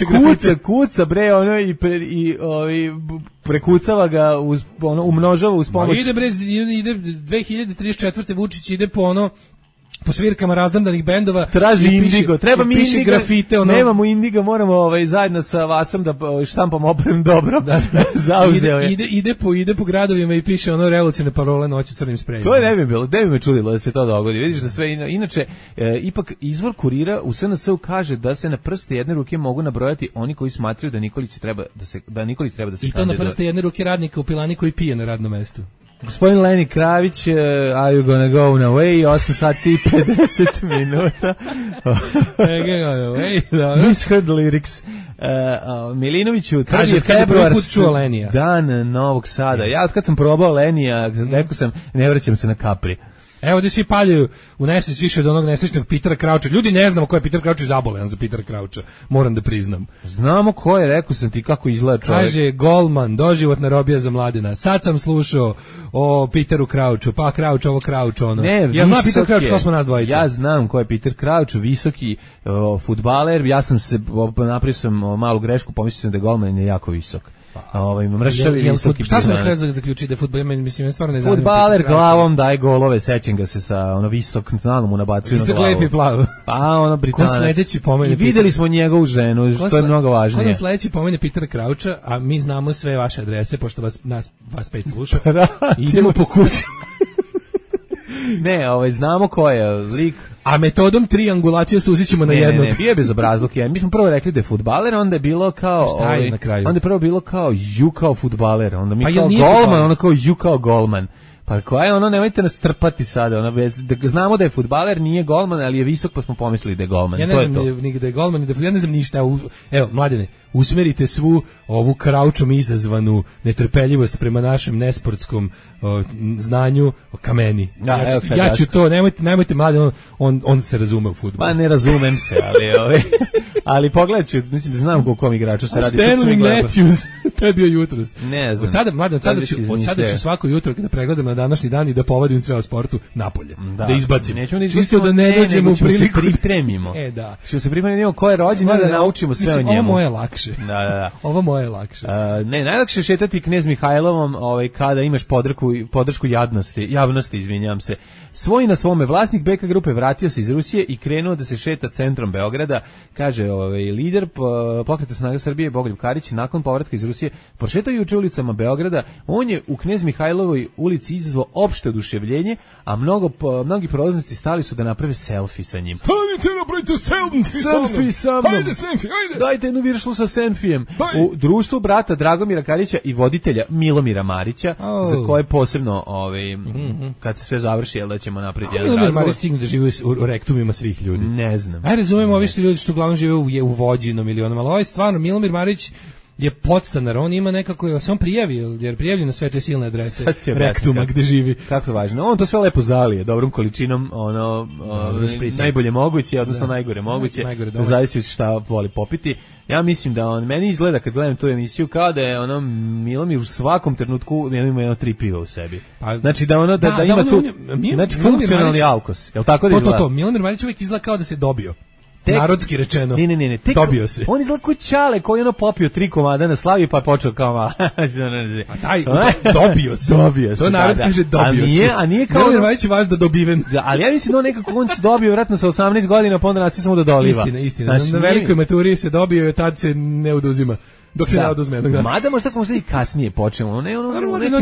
grafite. Kuca bre, i prekucava ga, umnožava uz pomoć. Ide 2034. Vučić ide po svirkama razdamdanih bendova. Traži Indigo, treba mi Indigo, grafite, nemamo Indigo, moramo zajedno sa Vasom da štampamo oprem dobro. Zauzeo je. Ide po gradovima i piše revolucionarne parole noću crnim sprejom. To je ne bi me čudilo da se to dogodi. Vidiš da sve inače ipak izvor Kurira u SNS-u kaže da se na prste jedne ruke mogu nabrojati oni koji smatraju da Nikolić treba da se I to na prste jedne ruke radnika u pilani koji pije na radnom mestu. Gospodin Leni Kravić, are you gonna go on away? 8 sati i 50 minuta. Misheard lyrics. Milinoviću, kaže februar, dan Novog Sada. Ja od kad sam probao Lenija, rekao sam, ne vraćam se na Capri. Evo gdje svi paljaju u nesvest više od onog nesrećnog Petera Krauča. Ljudi ne znamo ko je Peter Krauč i zabolevan za Petera Krauča. Moram da priznam. Znamo ko je, rekao sam ti kako izgleda čovjek. Kaže Golman, doživotna robija za Mladina. Sad sam slušao o Peteru Krauču, pa Krauč, ovo Krauč, ono. Ne, ja znam Peter Krauč, ko smo nas dvojica. Ja znam ko je Peter Krauč, visoki fudbaler. Ja sam se, napravio sam malu grešku, pomislio sam da je Golman je jako visok. Mršavi visoki. Šta smo na kraju zaključiti da je fudbal, mislim, stvarno ne znam. Fudbaler glavom daje golove, sećam ga se sa visok nalom mu nabacuju na glavu. Visok lepi plav. Pa Britanac. Ko sledeći pomene? Videli smo njegovu ženu, to je mnogo važnije. Ko nam sledeći pomene Petera Krauča, a mi znamo sve vaše adrese, pošto vas pet sluša. Idemo po kući. Ne, znamo ko je lik. A metodom triangulacije suzićemo na jednog. Ne, bio je bezobrazluk. Mi smo prvo rekli da je fudbaler, onda je bilo kao... Šta je na kraju? Onda je prvo bilo kao ju kao fudbaler, onda mi kao golman, onda kao ju kao golman. Pa koja je nemojte nas trpati sada, znamo da je fudbaler, nije golman, ali je visok, pa smo pomislili da je golman. Ja ne znam ni da je golman, ja ne znam ništa. Evo, Mladene, usmerite svu ovu Kraučom izazvanu netrpeljivost prema našem nesportskom znanju ka meni. Ja ću to, nemojte Mladen, on se razume u fudbalu. Pa ne razumem se, ali pogledat ću, mislim da znam koliko igraču se radi. Stanley Matthews, to je bio jutros. Ne znam. Od sada ću svako jutro kada pregledam na današnji dan i da povedim sve o sportu napolje. Da izbacim. Čisto da ne dođemo u priliku. Se pripremimo. Da. Što se pripremimo ko je rođen, da naučimo sve o njemu. Ovo moje lakše. Da. Ovo moje lakše. Ne, najlakše šetati Knez Mihajlovom kada imaš podršku javnosti, izvinjavam se. Svoj na svome, vlasnik BK grupe vratio se iz Rusije i krenuo da se šeta centrom Beograda, kaže lider Pokreta snaga Srbije Bogoljub Karić, nakon povratka iz Rusije, prošetao juče ulicama Beograda. On je u Knez Mihajlovoj ulici izazvao opšte oduševljenje, a mnogi prolaznici stali su da naprave selfie sa njim. Stanite, napravite selfie sa mnom. Hajde selfie, hajde. Dajte jednu viršlu sa selfijem. U društvu brata Dragomira Karića i voditelja Milomira Marića, za koje posebno kad se sve završi, da ćemo napraviti jedan razgovor. Milomir Marić stigne da živi u rektumima svih ljudi. Ne znam. Razumemo ovi što ljudi što uglavnom žive u Vođinom ili onom, ali ovo je stvarno, Milomir Marić je podstanar, on ima nekako, se on prijavio, jer prijavlja na sve te silne adrese rektuma gde živi. Kako je važno, on to sve lepo zalije, dobrom količinom, najbolje moguće, odnosno najgore moguće, zavisi šta voli popiti. Ja mislim da meni izgleda kad gledam tu emisiju kao da je Milomir u svakom trenutku ima 3 piva u sebi. Znači da ima tu, znači funkcionalni alkos, je li tako da izgleda? To, Milomir Marić uvijek izgleda kao da se dobio. narodski rečeno. Ne. Dobio se. On izgleda kao Ćale koji ono popio 3 komada na slavi pa počeo kao a taj dobio se. To je narod kaže dobio se. A nije kao Nervajić vaš da dobiven. Da, ali ja mislim da on nekako on se dobio vratno sa 18 godina pa onda nastaje samo da doliva. Istina. Znači, na velikoj maturi se dobio, tad se ne oduzima. Dok se ne oduzme. Mada možda i kasnije počnemo. On je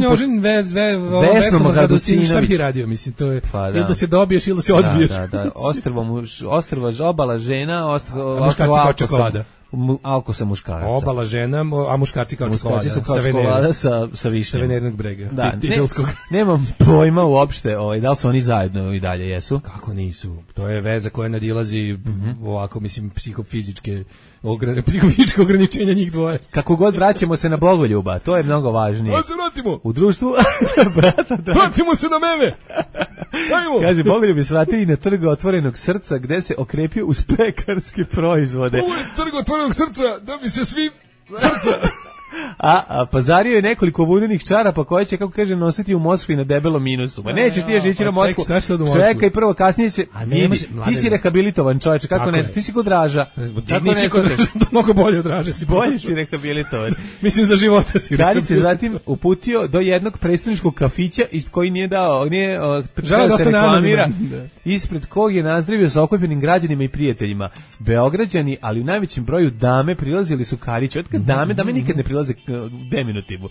ožen Vesno Magradocinović. Šta bi ti radio, mislim, to je ili da se dobiješ ili da se odbiješ. Da. Ostrva obala žena, ostrva čokolada. Alko sa muškaraca. Obala žena, a muškarci kao čokolada. Su kao čokolada sa višnjem. Sa venernog brega. Da, nemam pojma uopšte da li su oni zajedno i dalje jesu. Kako nisu? To je veza koja nadilazi ovako, mislim, psihofizičke ograničenja njih dvoje. Kako god vraćamo se na Bogoljuba, to je mnogo važnije. Da se vratimo. U društvu brata, vratimo se na mene. Dajmo. Kaže, Bogoljub je svratili na trg otvorenog srca gde se okrepio uz pekarske proizvode. Ovo je trg otvorenog srca da bi se svi srca. A pazario je nekoliko vudenih čarapa koje će, kako kaže, nositi u Moskvi na debelom minusu. Ma nećeš ti još ići na Moskvu. Čekaj prvo, kasnije će vidi. Ti si rehabilitovan čovječe, kako ne? Ti si kod Draža. Kako ne? Mnogo bolje od Draža si. Bolje si rehabilitovan. Mislim za života si. Kraljić se zatim uputio do jednog predstavničkog kafića koji nije želeo da se reklamira, ispred kog je nazdravio sa okupljenim građanima i prijateljima. Beograđani, ali u najvećem broju dame prilazili su Kariću. Otkad dame nikad ne prilaze deminutivu.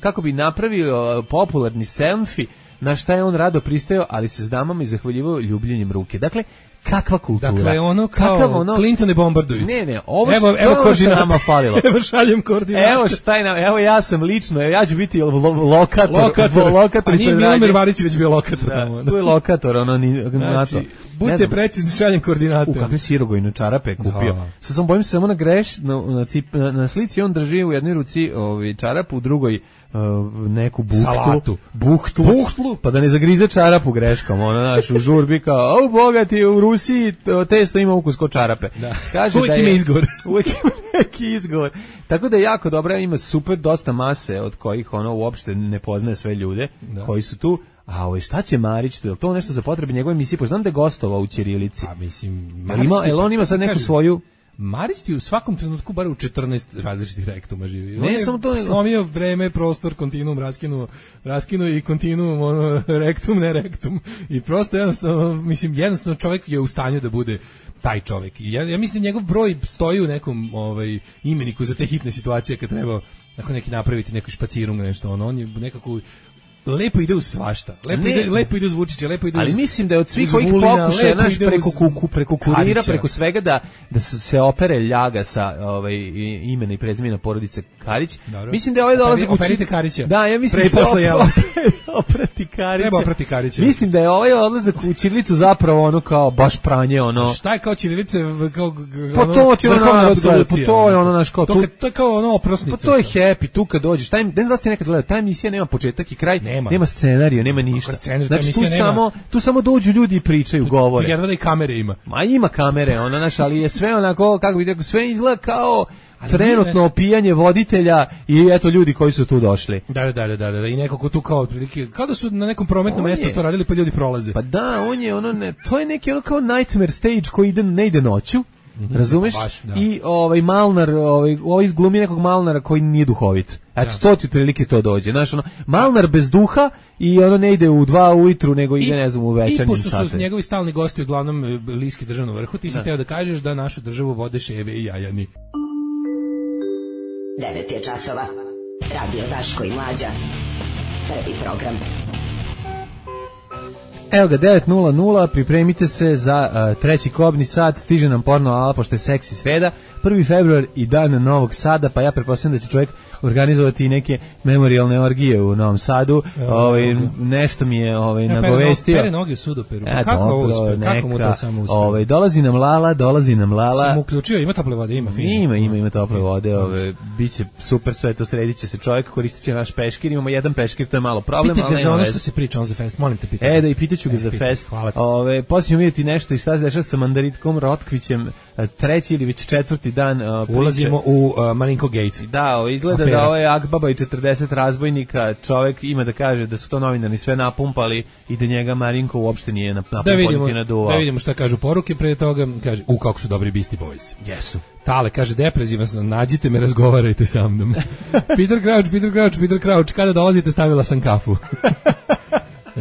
Kako bi napravio popularni selfie, na šta je on rado pristajao, ali se s damama i zahvaljivao ljubljenjem ruke. Dakle, kakva kultura. Dakle, ono kao Clinton ne bombarduju. Ne, evo koordinat. Nama falilo. Evo šaljem koordinate. Evo ja sam lično, ja ću biti lokator. A nije Milomir Varić već bio lokator. Tu je lokator, znači, budite precizni, šaljem koordinate. Kakve sirogojne čarape kupio. Sad sam bojim se samo na slici on drži u jednoj ruci čarapu, u drugoj neku buhtlu, pa da ne zagrize čarapu greškom, u žurbi kao, bogati, u Rusiji testo ima ukus ko čarape. Kaže uvijek ima izgovor. Uvijek ima neki izgovor. Tako da je jako dobro, ima super dosta mase od kojih uopšte ne poznaje sve ljude koji su tu. A šta će Marić, je to nešto za potrebe njegove emisije? Pa znam da je gostovao u ćirilici. A mislim, on ima sad neku svoju... Marić ti u svakom trenutku bar u 14 različitih rektuma živi. Ne, samo to slomio vreme, prostor, kontinuum, raskinuo i kontinuum, rektum, ne rektum. I prosto jednostavno čovjek je u stanju da bude taj čovjek. I ja mislim da njegov broj stoji u nekom imeniku za te hitne situacije kad treba neki napraviti neku špacirung, nešto. On je nekako... Lepo ide uz svašta. Lepo ide uz Vučića, lepo ide uz... Ali mislim da je od svih ovih pokušaja preko kurira, preko svega da se opere ljaga sa imena i prezimena porodice Karić. Dobro. Mislim da je ovaj dolazak operite Karića. Da, ja mislim da oprati Karića. Treba oprati Karića. Mislim da je ovaj odlazak u ćirilicu zapravo kao baš pranje Šta je kao ćirilice kao to je naš kao to je kao oprosnica. Pa to je happy tu kad dođeš. Ne znam da ste nekad gledali, ta emisija nema početak i kraj. Nema scenarija, nema ništa. Znači tu samo dođu ljudi i pričaju, govore. Jedva da i kamere ima. Ma ima kamere, ali je sve onako, kako bih rekao, sve izgleda kao trenutno opijanje voditelja i eto ljudi koji su tu došli. Da, i neko ko tu kao otprilike, kao da su na nekom prometnom mjestu to radili pa ljudi prolaze. Pa da, to je neki kao nightmare stage koji ne ide noću. Razumeš? I Malnar, izglumi nekog Malnara koji nije duhovit. Eto, to ti prilike to dođe. Znaš, Malnar bez duha i ne ide u 2 ujutru, nego ide, ne znam, u večernjim satima. I pošto su njegovi stalni gosti uglavnom bliski državnom vrhu, ti si teo da kažeš da našu državu vode ševe i jajani. 9 je časova. Radio Daško i Mlađa. Prvi program. Evo ga, 9:00, pripremite se za treći kobni sat, stiže nam porno ala, pošto je seksi sreda, 1. februar i dan Novog Sada, pa ja pretpostavljam da će čovjek organizovati i neke memorijalne orgije u Novom Sadu, nešto mi je nagovestio. Pere noge sudoperu, kako mu to samo uspije? Dolazi nam Lala. Sam uključio, ima tople vode, ima fino. Ima tople vode, biće super sve to, sredit će se čovjek, koristit će naš peškir, imamo jedan peškir, to je malo problem. Pitaj ga za ono što se priča on za fest, molim te pitaj. Da i pitaću ću ga za fest. Hvala ti. Poslije ćemo vidjeti nešto i šta se dešava sa Mandaritkom Rotkvićem, treći ili već četvrti dan priče. Ulazimo u Marinko Gate. Da, izgleda da ovo je Akbaba i 40 razbojnika, čovek ima da kaže da su to novinari sve napumpali i da njega Marinko uopšte nije napumpao. Da vidimo šta kažu poruke pre toga, kaže, kako su dobri Beastie Boys. Jesu. Tale, kaže, deprezivan sam, nađite me, razgovarajte sa mnom. Peter Crouch, kada dolazite, stavila sam kafu.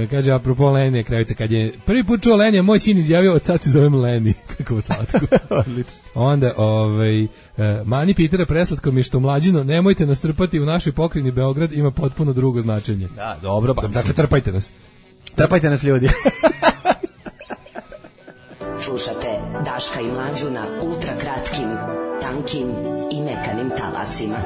Kaže, apropo Lenije Kravice, kad je prvi put čuo Lenija, moj sin izjavio, od sad se zovem Leni. Kako slatko. Odlično. Onda, mani Pitera preslatko mi je što mlađino, nemojte nas trpati u našoj pokrajini Beograd, ima potpuno drugo značenje. Da, dobro. Dakle, trpajte nas. Trpajte nas, ljudi. Slušate Daška i Mlađu na ultra kratkim, tankim i mekanim talasima.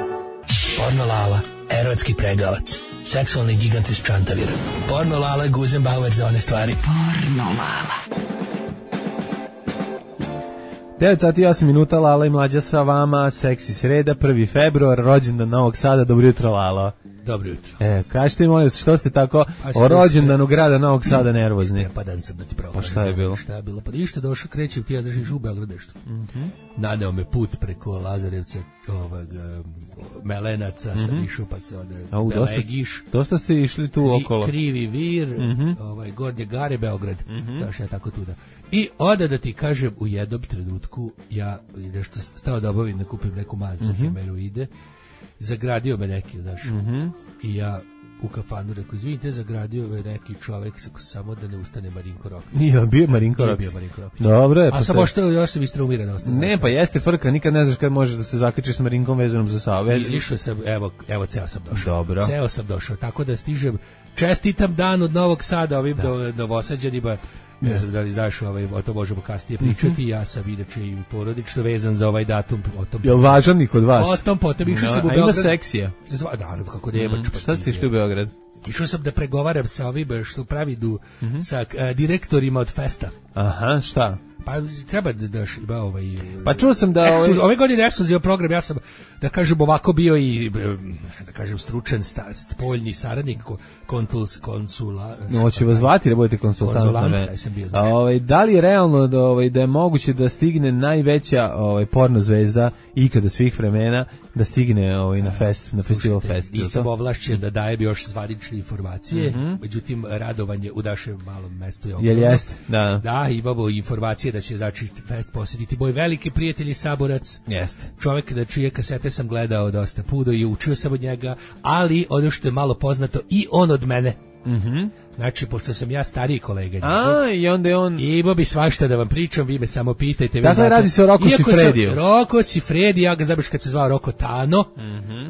Porno Lala, erotski pregavac, seksualni gigant iz Čantavira. Porno Lala, Guzenbauer za one stvari. Porno Lala. 9 sati i 8 minuta, Lala i Mlađa sa vama, seksi sreda, 1. februar, rođendan Novog Sada, dobro jutro, Lala. Dobro jutro. Kažete, molim vas, što ste tako o rođendanu grada Novog Sada nervozni? Pa dan sam da ti pravo. Pa šta je bilo? Šta je bilo? Pa ništa, došao, krećem ti, ja zašiš u Beograd nešto. Nadeo me put preko Lazarevca, Melenaca, sam išao pa se Belegiš. Dosta ste išli tu okolo. Krivi Vir, Gornje Gare, Beograd. Došao ja tako tuda. I onda da ti kažem, u jednom trenutku ja nešto stao da obavim, da kupim neku mazicu hemeroide. Zagradio me neki, znaš, i ja u kafanu rekao, izvinite, zagradio me neki čovek, samo da ne ustane Marinko Rokvić. Nije bio Marinko Rokvić. Dobro je. A samo što još sam istraumira da ostane. Ne, pa jeste frka, nikad ne znaš kad možeš da se zakačiš s Marinkom vezanom za Savu. Izišao sam, evo, ceo sam došao. Dobro. Ceo sam došao, tako da stižem, čestitam dan od Novog Sada ovim Novosađanima. Ne znam da li znaš, o to možemo kasnije pričati. Ja sam inače i porodično vezan za ovaj datum. Jel važan i kod vas? O tom potom išao sam u Beograd. A ima seksija? Da, kako nemač. Šta ste išli u Beograd? Išao sam da pregovaram sa ovim što pravi sa direktorima od Festa. Aha, šta? Pa treba da ima Pa čuo sam da ove godine ekskluzivan program, ja sam, da kažem, ovako bio i, da kažem, stručan spoljni saradnik, konsula. Hoće vas zvati da budete konsultant na me. Da li je realno da je moguće da stigne najveća porno zvezda ikada svih vremena, da stigne na fest, na festival Fest? Nisam ovlašćen da dajem još zvanične informacije, međutim, radovanje u našem malom mestu je ogromno. Jel jeste? Da. Da, imamo informacije da će, znači, fest posjetiti moj veliki prijatelj i saborac. Jeste. Čovjek na čije kasete sam gledao dosta puno i učio sam od njega, ali ono što je malo poznato, i on od mene. Znači, pošto sam ja stariji kolega njegov, i onda je on... Imao bi svašta da vam pričam, vi me samo pitajte. Dakle, radi se o Roko Sifrediju. Roko Sifredi, ja ga zabaš kad se zvao Roko Tano,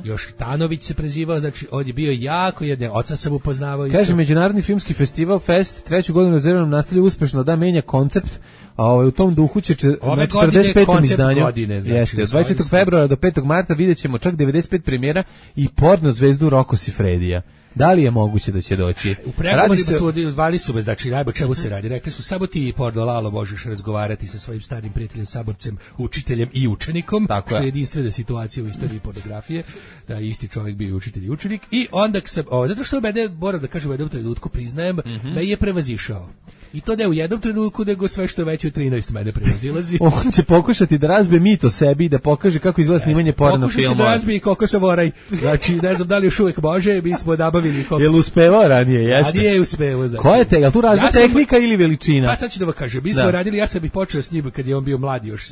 još Tanović se prezivao, znači, on je bio jako jedne, oca sam upoznavao. Kaže, Međunarodni filmski festival Fest, treću godinu rezervnom nastavlja uspešno da menja koncept, a u tom duhu će na 45. izdanju. Jeste, od 24. februara do 5. marta vidjet ćemo čak 95 premijera i porno zvezdu Roko Sifredija. Da li je moguće da će doći? U pregovorima su odvali su me, znači, najbo čemu se radi. Rekli su, samo ti, Porno Lalo, možeš razgovarati sa svojim starim prijateljem, saborcem, učiteljem i učenikom, tako što je jedinstvena situacija u istoriji pornografije, da isti čovjek bio učitelj i učenik. I onda sam, zato što mene, moram da kažem, u jednom trenutku priznajem, da je prevazišao. I to ne u jednom trenutku, nego sve što je veće od 13 mene prevazilazi. On će pokušati da razbije mit o sebi i da pokaže kako izgleda snimanje porno filmova. Pokušat će da razbije koliko se voraj. Znači, ne znam da li još uvijek može, mi smo nabavili koliko... Jel uspevao ranije, jeste? Ranije je uspevao, znači. Ko je te? Jel tu razna tehnika ili veličina? Pa sad ću da vam kažem, mi smo radili, ja sam i počeo s njim kad je on bio mladi još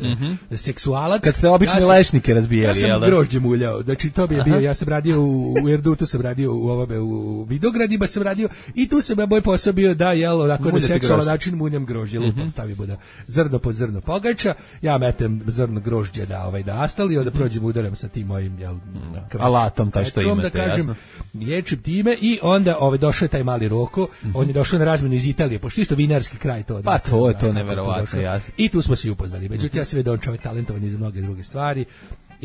seksualac. Kad ste obične lešnike razbijali, jel? Ja sam grožđe muljao, znači to bi je bio, ja sam radio u Erdutu, sam radio u Vidogradima, sam radio i tu sam moj posao bio da, jel, onako na seksualan način munjam grožđe, lupom stavimo da zrno po zrno pogača, ja metem zrno grožđe da astali, onda prođem udaram sa tim mojim, jel, alatom, taj što imate, da kažem, ječim time i onda došao je taj mali Roko, on je došao na razmenu iz Italije, pošto isto vinarski kraj to. Pa to je neverovatno, jasno. I tu smo se upoznali, međutim ja sam vidio da on čovjek talentovan i za mnoge druge stvari.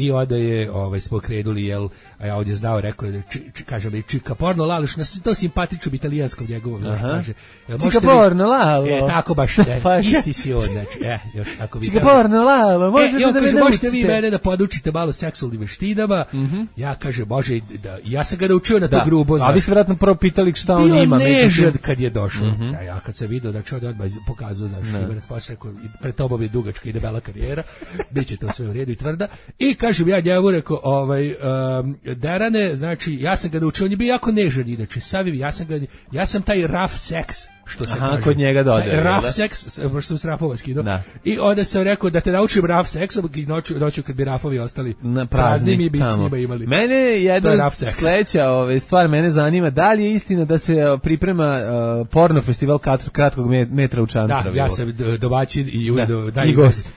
I onda je smo krenuli, jel, a ja ovdje znao, rekao je, kaže mi, čika porno laloš, na to simpatičnom italijanskom njegovom, kaže. Čika porno lalo. Tako baš, isti si on, znači, još tako vi. Čika porno lalo, možete da me možete vi mene da podučite malo seksualnim veštinama. Ja kaže, može, ja sam ga naučio na to grubo, znaš. A vi ste vjerojatno prvo pitali šta on ima. Bio nežad kad je došao. Ja kad sam vidio da čovjek odmah pokazao, znaš, Šibenac Paša, pred tobom je dugačka i debela karijera, bit će to sve u redu i tvrda. I kažem ja njemu, rekao, Derane, znači, ja sam ga naučio, on je bio jako nežan, inače, ja sam taj rough sex, što se kaže. Kod njega dodali. Rough sex, što sam s rafova skinuo. I onda sam rekao da te naučim rough sexom i noću kad bi rafovi ostali prazni, mi bi s njima imali. Mene jedna sledeća stvar mene zanima, da li je istina da se priprema porno festival kratkog metra u Čantaviru? Da, ja sam domaćin i ujedno gost.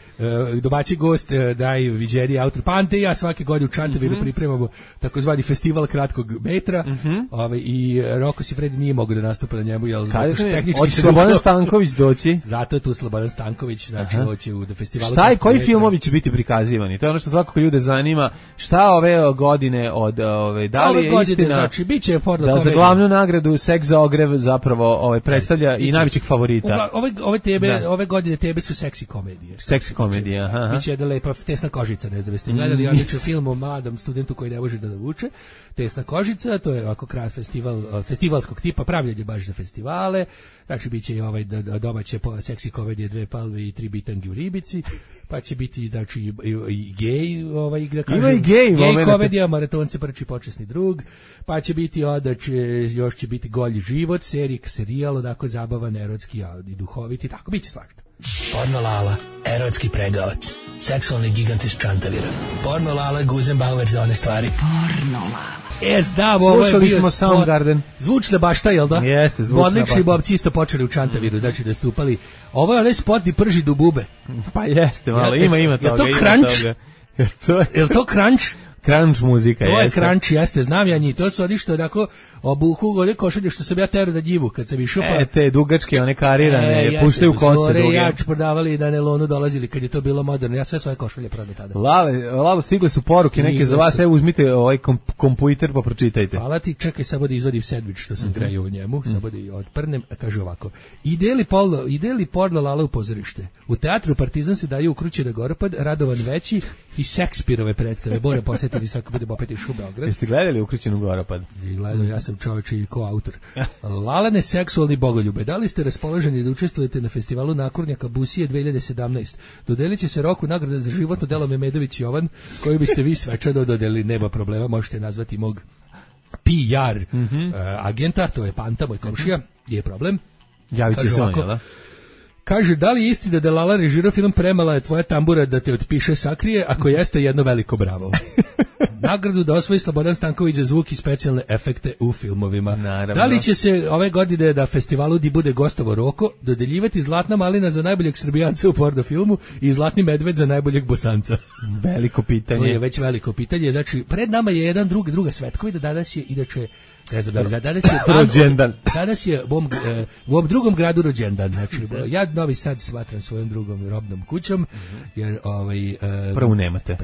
Domaći gost daj viđeni autor Pante i ja svake godine u Čantaviru pripremamo takozvani festival kratkog metra i Roko Sifredi nije mogao da nastupa na njemu, jel zato što tehnički se Slobodan Stanković doći. Zato je tu Slobodan Stanković, znači hoće u festivalu. Šta i koji filmovi će biti prikazivani? To je ono što svakako ljude zanima. Šta ove godine od da li je istina? Znači biće porno da za glavnu nagradu Seks za ogrev zapravo predstavlja i najvećeg favorita. Ove godine tebe su seksi komedije. Komedija, biće da lepa Tesna kožica, ne znam, jeste gledali odličan film o mladom studentu koji ne može da vuče. Tesna kožica, to je ovako festivalskog tipa, pravljanje baš za festivale. Znači biće i domaće seksi komedije, 2 palve i 3 bitangi u ribici, pa će biti znači i gej, igra kaže. Ima i gej komedija, Maratonci prči počasni drug, pa će biti još će biti Golji život, serijal, onako zabavan, erotski i duhoviti, tako biće svašta. Porno Lala, erotski pregavac, seksualni gigant iz Čantavira. Porno Lala, Guzenbauer za one stvari. Porno Lala. Znam, ovo je bio Soundgarden. Zvučna bašta, jel da? Jeste, zvučna bašta. Odlični bobci isto počeli u Čantaviru, znači da stupali. Ovo je onaj spot di prži dubube. Pa jeste, malo, ima toga. Je to crunch? Je to crunch? Crunch muzika, to jeste. To je crunch, jeste, znam ja njih, to su oni što onako obuku one košulje što sam ja terao na njivu kad sam išao pa... te dugačke, one karirane, puštaju kose duge. Jač prodavali na nelonu dolazili kad je to bilo moderno, ja sve svoje košulje prodao tada. Lalo, stigle su poruke neke za vas, evo uzmite ovaj kompjuter pa pročitajte. Hvala ti, čekaj, samo da izvadim sendvič što sam grejao u njemu, samo da i odprnem, kaže ovako. Ide li porno Lala u pozorište? U teatru Partizan se daju ukrućen Goropad, Radovan Veći i Šekspirove predstave. Bore posjetili sad kad budemo opet iš u Beograd. Jeste gledali Ukrućenu Goropad? Gledao, ja sam čovječ i koautor. Lalane seksualni bogoljube. Da li ste raspoloženi da učestvujete na festivalu Nakurnjaka Busije 2017? Dodelit će se Roku nagrada za životno delo Memedović Jovan, koju biste vi svečano dodelili, nema problema, možete nazvati mog PR agenta, to je Panta, moj komšija, je problem. Javit će se on, jel da? Kaže, da li je istina da Lala režirao film Premala je tvoja tambura da te otpiše sakrije, ako jeste jedno veliko bravo. Nagradu da osvoji Slobodan Stanković za zvuk i specijalne efekte u filmovima. Naravno. Da li će se ove godine na festivalu di bude gostovo Roko dodeljivati Zlatna malina za najboljeg Srbijanca u porno filmu i Zlatni medved za najboljeg Bosanca? Veliko pitanje. To je već veliko pitanje. Znači, pred nama je jedan druga svetkovina, danas je inače danas je u ovom drugom gradu rođendan. Znači, ja Novi Sad smatram svojom drugom robnom kućom, jer prvu nemate.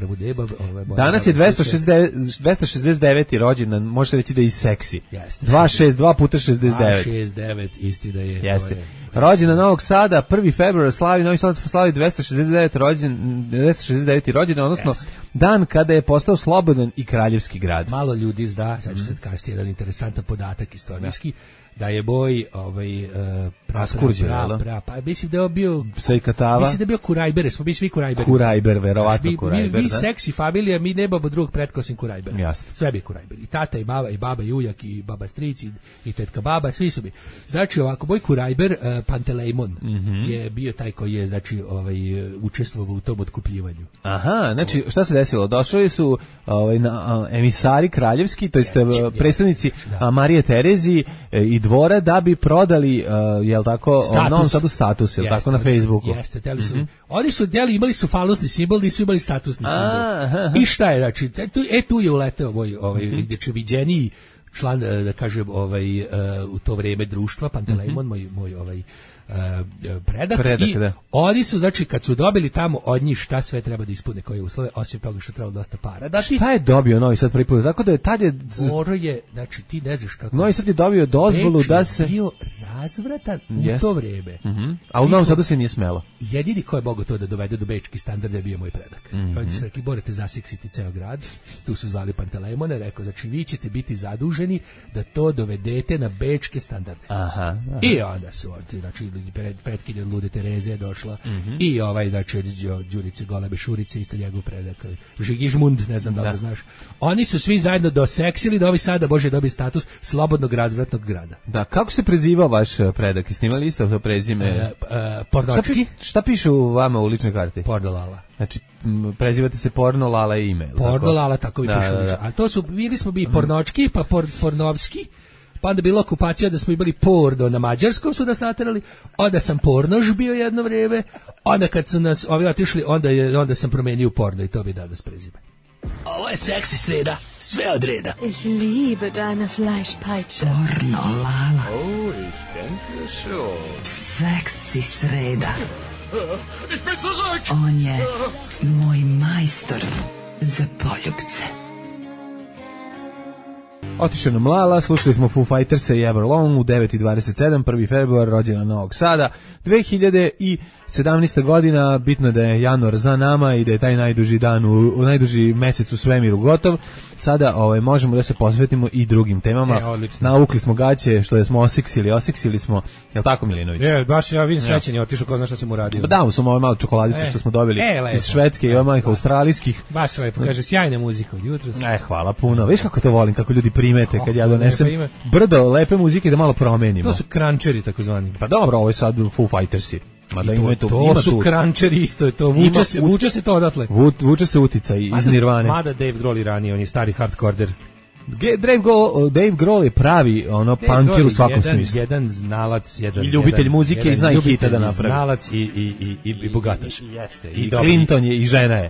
Danas je 269. rođendan, možete reći da je i seksi. 262 puta 69. 269, istina je. Jeste. Rođendan Novog Sada, 1. februar slavi, Novi Sad slavi 269. rođendan, odnosno dan kada je postao slobodan i kraljevski grad. Malo ljudi zna, sad ću sad kažete jedan interesantan podatak istorijski, da je boj pa mislim da je bio Sejkatava, mislim da je bio Kurajber, smo bili svi Kurajberi. Kurajber, verovatno Kurajber. Mi seksi familija, mi nemamo drugog pretka osim Kurajbera. Jasno. Sve bi Kurajber. I tata i baba i ujak i baba stric i tetka baba, svi su bi. Znači ovako, boj Kurajber, Pantelejmon je bio taj koji je znači učestvovao u tom otkupljivanju. Aha, znači šta se desilo? Došli su emisari kraljevski, to jest predstavnici Marije Terezije i dvora da bi prodali jel tako Novom Sadu status, jel tako, na Facebooku. Jeste, teli su. Oni su imali su falosni simbol, nisu imali statusni simbol. I šta je, znači, tu je uleteo gdje će viđeniji član, da kažem, u to vrijeme društva, Pantelejmon, moj Predak i oni su, znači, kad su dobili tamo od njih šta sve treba da ispune koje uslove, osim toga što treba dosta para. Da, šta je dobio Novi Sad prvi put? Tako da je tad je... Moro je, znači, ti ne znaš kako... Novi Sad je dobio dozvolu da se... Beč je bio razvratan u to vreme. A u Novom Sadu se nije smelo. Jedini ko je mogao to da dovede do bečkih standarda je bio moj predak. Oni su rekli, morate zasiksiti ceo grad. Tu su zvali Pantelejmona, rekao, znači, vi ćete biti zaduženi da to dovedete na bečke standarde. Aha. I onda su, znači, pretkinje od Lude Tereze je došla i znači, od Đurice Golebe Šurice, isto njegov predak, Žigižmund, ne znam da li znaš. Oni su svi zajedno doseksili da ovi sada može dobiti status slobodnog razvratnog grada. Da, kako se prezivao vaš predak? Snimali isto to prezime? Pornočki. Šta piše u vama u ličnoj karti? Pornolala. Znači, prezivate se Porno Lala i ime. Porno Lala, tako mi piše. A to su, bili smo bi Pornočki, pa Pornovski, pa onda bila okupacija da smo imali Porno na mađarskom su nas naterali, onda sam Pornož bio jedno vreme, onda kad su nas ovi otišli, onda sam promenio Porno i to bi danas prezime. Ovo je seksi sreda, sve od reda. Ich liebe deine Fleischpeitsche. Pornolala. Oh, ich denke schon. Seksi sreda. Ich bin zurück! On je moj majstor za poljubce. Otišao nam Lala, slušali smo Foo Fighters i Everlong u 9:27, 1. februar, rođena Novog Sada, 2017. godina, bitno je da je januar za nama i da je taj najduži dan, najduži mesec u svemiru gotov. Sada možemo da se posvetimo i drugim temama. Naukli smo gaće, što smo osiksili smo, jel tako, Milinović? Baš ja vidim srećen je otišao, ko zna šta sam uradio. Pa damo sam ove malo čokoladice što smo dobili iz Švedske i ove malih australijskih. Baš lepo, kaže, sjajna muzika od jutros. Hvala puno. Viš kako to volim, kako ljudi primete kad ja donesem brdo lepe muzike da malo promenimo. To su krančeri takozvani. Pa dobro, ovo je sad Foo Fightersi. To su krančeri isto, je to vuče se to odatle. Vuče se uticaj iz Nirvane. Mada Dave Grohl ranije, on je stari hardkorder. Dave Grohl je pravi punker u svakom smislu. Jedan znalac, i ljubitelj muzike i zna i hita da napravi. Znalac i bogataš. Jeste. I Clinton je i žena je.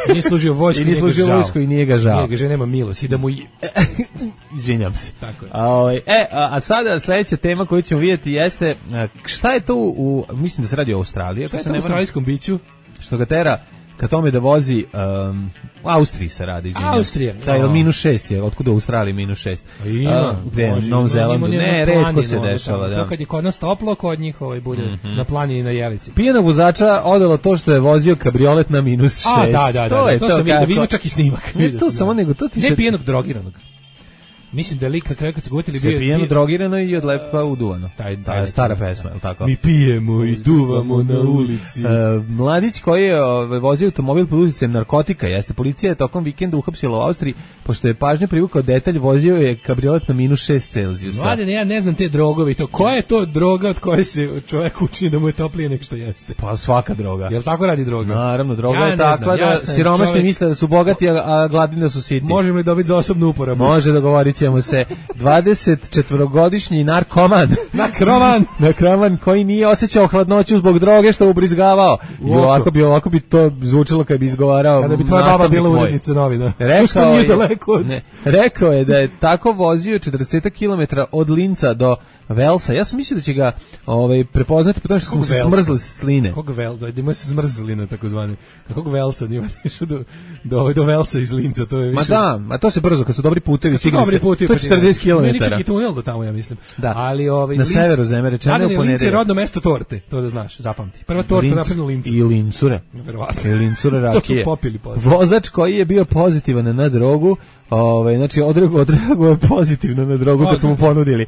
Nije služio vojsku i nije ga žao. Nije ga žao, nema milost. I da mu... Izvinjam se. Tako je. A sada sljedeća tema koju ćemo vidjeti jeste šta je to mislim da se radi o Australiji. Šta je to u australijskom biću? Što ga tera ka tome da vozi u Austriji se radi, izvinjam. Austrija. Taj -6 je, otkuda u Australiji -6? Gde, u Novom Zelandu? Ne, retko se dešava. Da. Kad je kod nas toplo, kod njih bude na planini na Jelici. Pijena vozača odelo to što je vozio kabriolet na -6. Da, to sam vidio, ima čak i snimak. Ne, to samo nego, to ti se... Ne pijenog, drogiranog. Mislim da je lik kad se gotili bio pijeno, drogirano i od lepa uduvano. Taj stara pesma, je li tako? Mi pijemo i duvamo na ulici. Mladić koji je vozio automobil pod uticajem narkotika, jeste, policija je tokom vikenda uhapsila u Austriji, pošto je pažnju privukao detalj, vozio je kabriolet na -6 Celzijusa. Mladen, ja ne znam te drogovi, koja je to droga od koje se čovjek učini da mu je toplije nek što jeste? Pa svaka droga. Jel tako radi droga? Naravno, droga je takva da siromašni misle da su bogati, a gladni da su sitni. Možemo li dobiti za osobnu uporabu? Može, dogovorit ćemo se. 24-godišnji narkoman koji nije osjećao hladnoću zbog droge što ubrizgavao. I ovako bi to zvučilo kad bi izgovarao. Kada bi tvoja baba bila urednica novina. Rekao je da je tako vozio 40 km od Linca do Velsa. Ja sam mislio da će ga prepoznati po tome što su se smrzli sline. Kog Velsa? Da ima se smrzline takozvane. Kog Velsa? Nima išao do Velsa iz Linca. To je više... Ma to se brzo, kad su dobri putevi. To je 40 km. Meni čak i tunel do tamo, ja mislim. Da. Ali, na severu zemlje rečeno u ponedeljak. Lince je rodno mesto torte, to da znaš, zapamti. Prva torta napravljena u Lincu. I lincure. Verovatno. I lincure rakije. To su popili vozač koji je bio pozitivan na drogu, znači odreagovao je pozitivno na drogu kad su mu ponudili.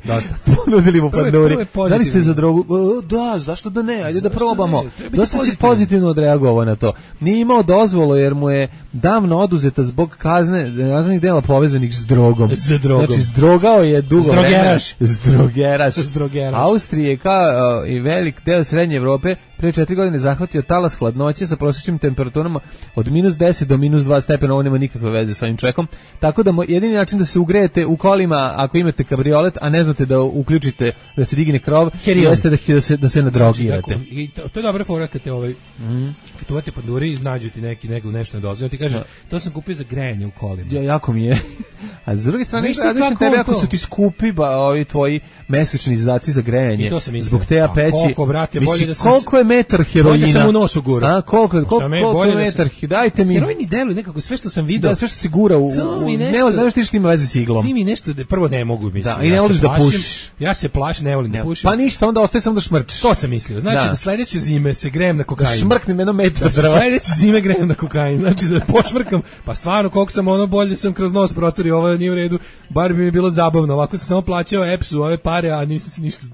Ponudili mu panduri. Da li ste za drogu? Da, zašto da ne? Ajde da probamo. Dosta si pozitivno odreagovao na to. Nije imao dozvolu jer mu je davno oduzeta zbog kaznenih dela povezanih s drogom. Znači, zdrogao je dugo vremena. Zdrogeraš. Austrije kao i velik deo srednje Evrope prije 4 godine zahvatio talas hladnoće sa prosječnim temperaturama od -10 do -2 stepena. Ovo nema nikakve veze sa ovim čovjekom. Tako da jedini način da se ugrejete u kolima ako imate kabriolet, a ne znate da uključite da se digne krov, jeste da se nadrogirate. I to je dobra fora kad te kad uvate panduri i nađu ti nešto nedozvoljeno, ti kažeš to sam kupio za grejanje u kolima. Jako mi je. A s druge strane, radiš na tebe ako su ti skupi ovi tvoji mesečni izdaci za grejanje zbog te peći. Koliko, brate, bolje da sam... Koliko je metar heroina? Bolje sam u nosu gura. Koliko je metar? Dajte mi... Heroin mi deluje nekako sve što sam vidio. Da, sve što se gura u... Ne znaš ti što ima veze s iglom. Ti mi nešto, prvo ne mogu mislim. Da, i ne voliš da pušiš. Ja se plašim, ne volim da pušim. Pa ništa, onda ostaje samo da šmrčeš. To sam mislio. Znači da sledeće zime se grejem na kokain. Šmrknem jedno metar. Sledeće zime grejem na kokain. Znači da pošmrkam. Pa stvarno, koliko sam bolje sam kroz nos proturio, ovo nije u redu. Bar bi mi bilo zabavno. Ovako sam samo plaćao EPS-u ove pare, a nisam se ništa,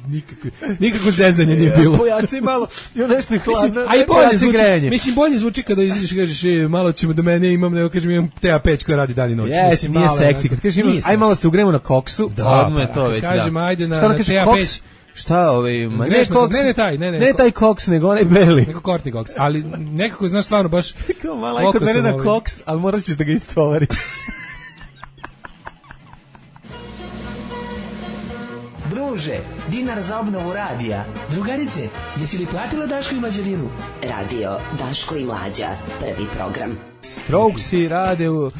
nikakvo zezanje nije bilo. Pojači malo, jo nešto je hladno. A i bolje zvuči, mislim, bolje zvuči kada izađeš i kažeš, malo ćemo do mene, nego kažem, imam TA5 koja radi dan i noć. Mislim, nije seksi. Kad kažeš, aj malo se ugremo na koksu, odmah je to već, da. Kažem, ajde na TA5. Šta ne taj koks, nego onaj beli. Neko Courtney Cox, ali nekako, znaš, stvarno, baš... Malo kod mene na koks, ali morat ćeš da ga istovariš. Druže, dinar za obnovu radija. Drugarice, jesi li platila Daško i Mlađarinu? Radio Daško i Mlađa, prvi program. Strokesi rade u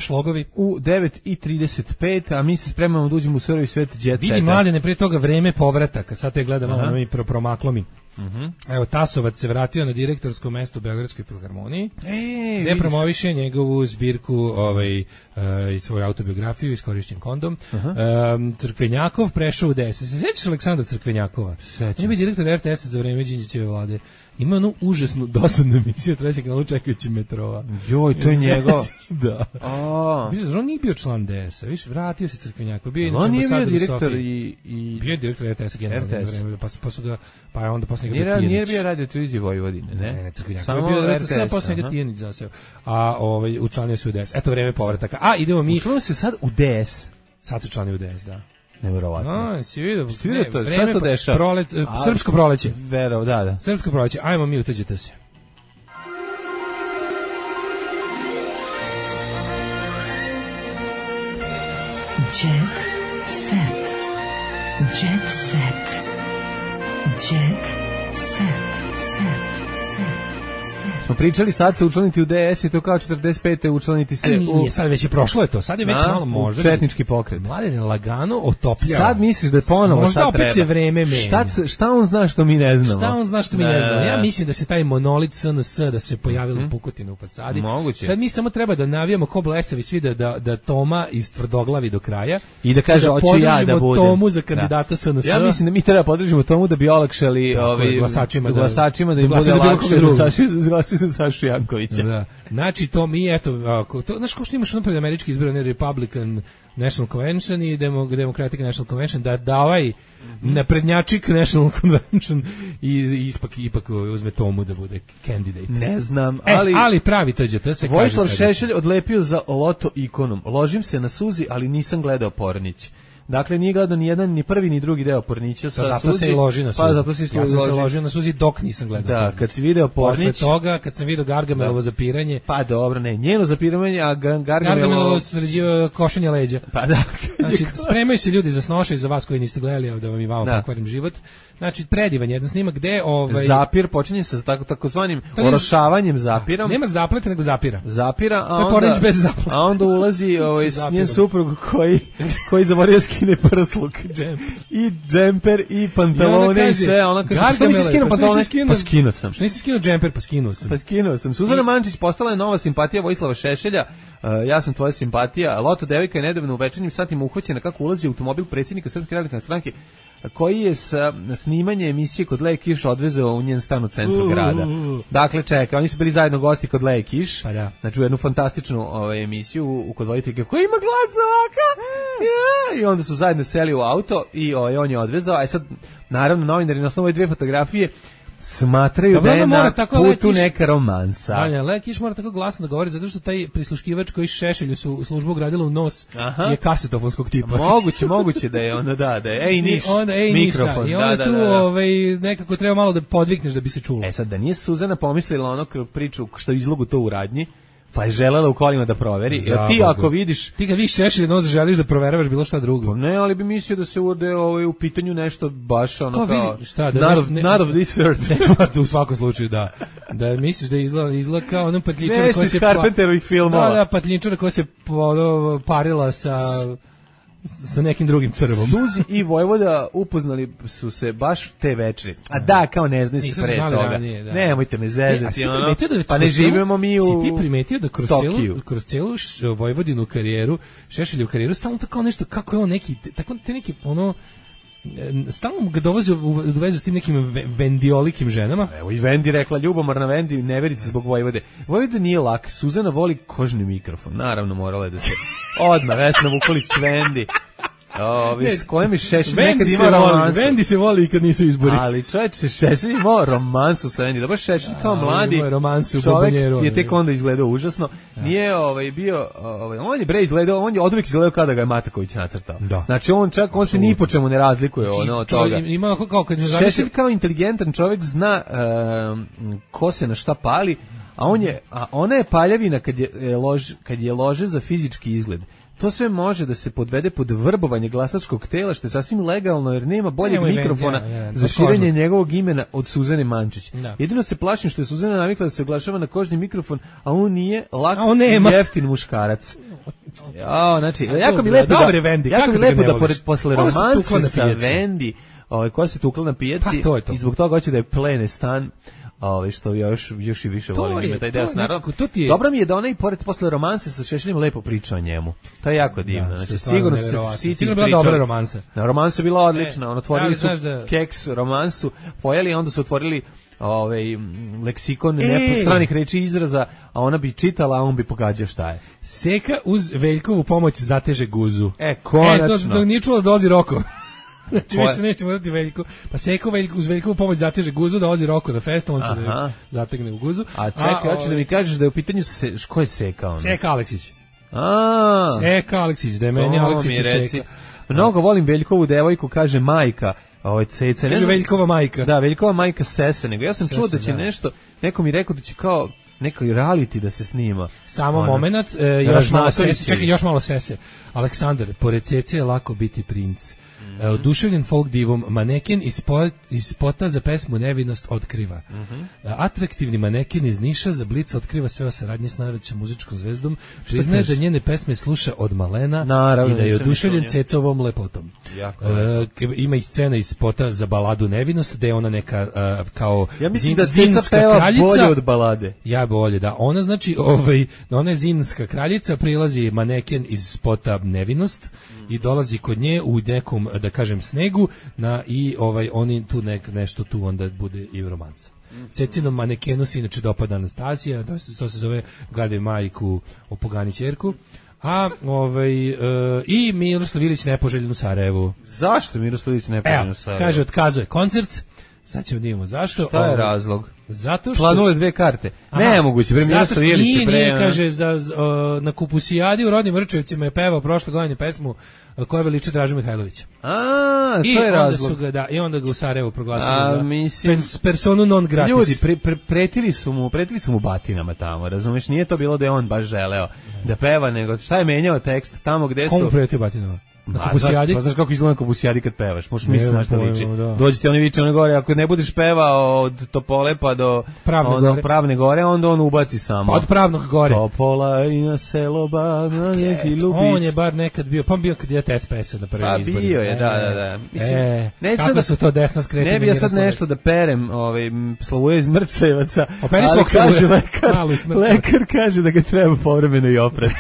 9:35, a mi se spremamo da uđemo u survi svet jet seta. Vidi, Mladene, prije toga vreme povrataka, sad te gledam, ono mi promaklo mi. Evo, Tasovac se vratio na direktorsko mesto u Beogradskoj filharmoniji, gde promoviše njegovu zbirku, i svoju autobiografiju, Iskorišćen kondom. Crkvenjakov prešao u DS. Se sjećaš Aleksandra Crkvenjakova? On je bio direktor RTS za vreme Đinđićeve vlade. Ima onu užasnu, dosadnu emisiju, treći kanalu čekajući metrova. Joj, to je njegov. Da. On nije bio član DS-a, viš, vratio se Crkvenjakov. On nije bio direktor i... Bio je direktor RTS-a generalno vreme, pa su ga, pa je onda posle njega Tijanić. Nije bio radio televizije Vojvodine, ne? Ne, Crkvenjakov. Samo bio direktor, sada posle njega Tijanić zaseo. A učlanio se u DS. Eto, vreme povrataka. A, idemo mi... Učlanio se sad u DS. Sad se učlanio u DS, da. Neverovatno. Si vidio to, šta se to dešava? Srpsko proleće. Verov, da. Srpsko proleće, ajmo mi uteđete se. Jet set. Jet set. Jet set. Smo pričali sad se učlaniti u DS i to kao 45. učlaniti se u... sad već je prošlo je to, sad je već malo možda... četnički pokret. Mladen lagano otopljava. Sad misliš da je ponovo možda sad treba. Možda opet se vreme menja. Šta on zna što mi ne znamo? Šta on zna što mi ne znamo? Ja mislim da se taj monolit SNS, da se pojavilo Pukotine u fasadi. Moguće. Sad mi samo treba da navijamo ko blesavi svi da Toma iz tvrdoglavi do kraja. I da kaže, hoću ja da budem. Tomu za kandidata SNS. Ja mislim da mi treba podržimo Tomu da bi olakšali glasačima da im bude lakše da Sašu Jankovića. Da. Znači, to mi, eto, znaš ko što imaš napred američki izbor, ne Republican National Convention i Democratic National Convention, da ovaj naprednjačik National Convention i ipak uzme Tomu da bude candidate. Ne znam, ali pravi TGT se kaže. Vojislav Šešelj odlepio za loto ikonom. Ložim se na suzi, ali nisam gledao Pornić. Dakle, nije gledao ni jedan, ni prvi, ni drugi deo Pornića sa zato suzi. Se i loži na suzi. Pa zato se ja sam se ložio na suzi dok nisam gledao. Da, kad si video Pornić. Posle toga, kad sam video Gargamelovo zapiranje. Pa dobro, ne, njeno zapiranje, a Gargamelovo sređivo košenje leđa. Pa da. Znači, spremaju se ljudi za snoše i za vas koji niste gledali, da vam i vama pokvarim život. Znači, predivan jedan snimak gde zapir počinje sa takozvanim orošavanjem zapirom. Nema zapleta, nego zapira. Zapira, a onda ulazi njen suprug koji zaboravio skine prsluk i džemper i pantalone i sve. Ona kaže, što nisi skinuo pantalone? Pa skinuo sam. Što nisi skinuo džemper? Pa skinuo sam. Suzana Mančić postala je nova simpatija Vojislava Šešelja. Ja sam tvoja simpatija. Loto devojka je nedavno u večernjim satima uhvaćena kako ulazi automobil predsjednika Srpske radikalne stranke, koji je sa snimanje emisije kod Leje Kiš odvezao u njen stan u centru grada. Dakle, čeka, oni su bili zajedno gosti kod Leje Kiš, znači u jednu fantastičnu emisiju kod voditeljke koja ima glas ovaka, i onda su zajedno seli u auto i on je odvezao, a sad, naravno, novinari na osnovu ove dve fotografije smatraju da je na putu neka romansa. Leje Kiš mora tako glasno da govori, zato što taj prisluškivač koji Šešelju su službu ugradila u nos je kasetofonskog tipa. Moguće da je onda da je ej niš mikrofon. I onda tu nekako treba malo da podvikneš da bi se čulo. Sad da nije Suzana pomislila ono priču što izlogu to u radnji, pa je želela u kolima da proveri. Ti ako vidiš... Ti kad vidiš Šešelj nos želiš da proveravaš bilo šta drugo. Ne, ali bi mislio da se urde u pitanju nešto baš ono kao... Šta, not of this earth. U svakom slučaju, da. Da misliš da izgleda kao onom patljičara koja se... Carpenterovih filmova. Da, patljičara koja se parila sa... sa nekim drugim crvom. Suzi i Vojvoda upoznali su se baš te večeri. A da, kao ne znaju se pre toga. Ranije, da. Nemojte me zezati, ono. Da pa ne živimo mi u Si ti primetio da kroz celu Vojvodinu karijeru, Šešeljevu karijeru, stalno tako nešto, kako je on neki, tako te neki, ono, stalno ga dovozi u vezu s tim nekim vendiolikim ženama. Evo i Vendi rekla, ljubomorna Vendi, ne verite zbog Vojvode. Vojvoda nije lak, Suzana voli kožni mikrofon. Naravno, morala je da se odmah Vesna Vukolić Vendi. S kojim je Šešelj nekad imao romansu. Vendi se voli i kad nisu izbori. Ali čovječe, Šešelj imao romansu sa Vendi. Dobro, Šešelj kao mladi čovjek je tek onda izgledao užasno. Nije bio, on je bre izgledao, on je oduvijek izgledao kada ga je Mataković nacrtao. Znači on se ni po čemu ne razlikuje od toga. Šešelj kao inteligentan čovjek zna ko se na šta pali, a ona je paljavina kad je lože za fizički izgled. To sve može da se podvede pod vrbovanje glasačkog tela, što je sasvim legalno, jer nema boljeg mikrofona za širenje njegovog imena od Suzane Mančić. Jedino se plašim što je Suzana navikla da se oglašava na kožni mikrofon, a on nije lak i jeftin muškarac. Znači, jako mi lepo da posle romanse sa Vendi, koja se tukla na pijaci, i zbog toga hoće da je plene stan, što još i više volim ime taj deo snara. Dobro mi je da ona i pored posle romanse sa Šešeljem lepo priča o njemu. To je jako divno. Znači, sigurno se Sici bila dobra romansa. Na romansa je bila odlična. Otvorili su keks romansu, pojeli, onda su otvorili leksikon stranih reči i izraza, a ona bi čitala, a on bi pogađao šta je. Seka uz Veljkovu pomoć zateže guzu. Konačno. To nije čula da dozi Roko. Znači više nećemo dati Veljko. Pa Seko uz Veljkovu pomoć zateže guzu da ozi Roko na festu, on će da zategne u guzu. A čekaj, hoćeš da mi kažeš da je u pitanju ko je Seka ona? Seka Aleksić. Seka Aleksić, da je meni Aleksić Seka. Mnogo volim Veljkovu devojku, kaže majka. Ceca. Kaže Veljkova majka. Da, Veljkova majka Sese. Nego ja sam čuo da će nešto, neko mi rekao da će kao neki reality da se snima. Samo moment, još malo Sese. Aleksandar, pored Cece je lako biti princ. Oduševljen folk divom, maneken iz spota za pesmu Nevinost otkriva. Atraktivni maneken iz Niša za Blic otkriva sve o saradnji s najvećom muzičkom zvezdom, priznaje da njene pesme sluša od malena i da je oduševljen Cecovom lepotom. Ima i scena iz spota za baladu Nevinost, gde je ona neka kao ja mislim da Ceca peva bolje od balade. Ja bolje, da. Ona znači, ona je zinska kraljica, prilazi maneken iz spota Nevinost i dolazi kod nje u nekom, da kažem, snegu i oni tu nešto tu onda bude i romansa. Cecinom manekenu se inače dopada Anastasija, to se zove Gledaj majku, opogani ćerku. A i Miroslav Ilić nepoželjen u Sarajevu. Zašto Miroslav Ilić nepoželjen u Sarajevu? Kaže, otkazuje koncert. Sad ćemo da vidimo zašto. Šta je razlog? Zato što planule 2 karte. Nemoguće, bre Miroslav Ilić nije, kaže, na Kupusijadi u Rodnim Vrčevcima je pevao prošle godine pesmu koja veliča Dražu Mihajlovića. To je razlog. I onda ga u Sarajevu proglasili za personu non gratis. Ljudi, pretili su mu batinama tamo, razumeš? Nije to bilo da je on baš želeo da peva, nego šta je menjao tekst tamo gde su... Komu pretio batinama? Znaš kako izgleda na Kupusijadi kad pevaš, možeš misliti na šta liči. Dođe ti oni viče one gore, ako ne budeš pevao od Topole pa do Pravne gore, onda on ubaci samo. Od Pravnog gore. Topola i na selo na neki Ljubić. On je bar nekad bio, pa bio kad je SPS-a na prvim izborima. Pa bio je, da. Mislim, kako su to desna skretanja. Ne bi ja sad nešto da perem Slavuje iz Mrčevaca, ali kaže lekar kaže da ga treba povremeno i oprati.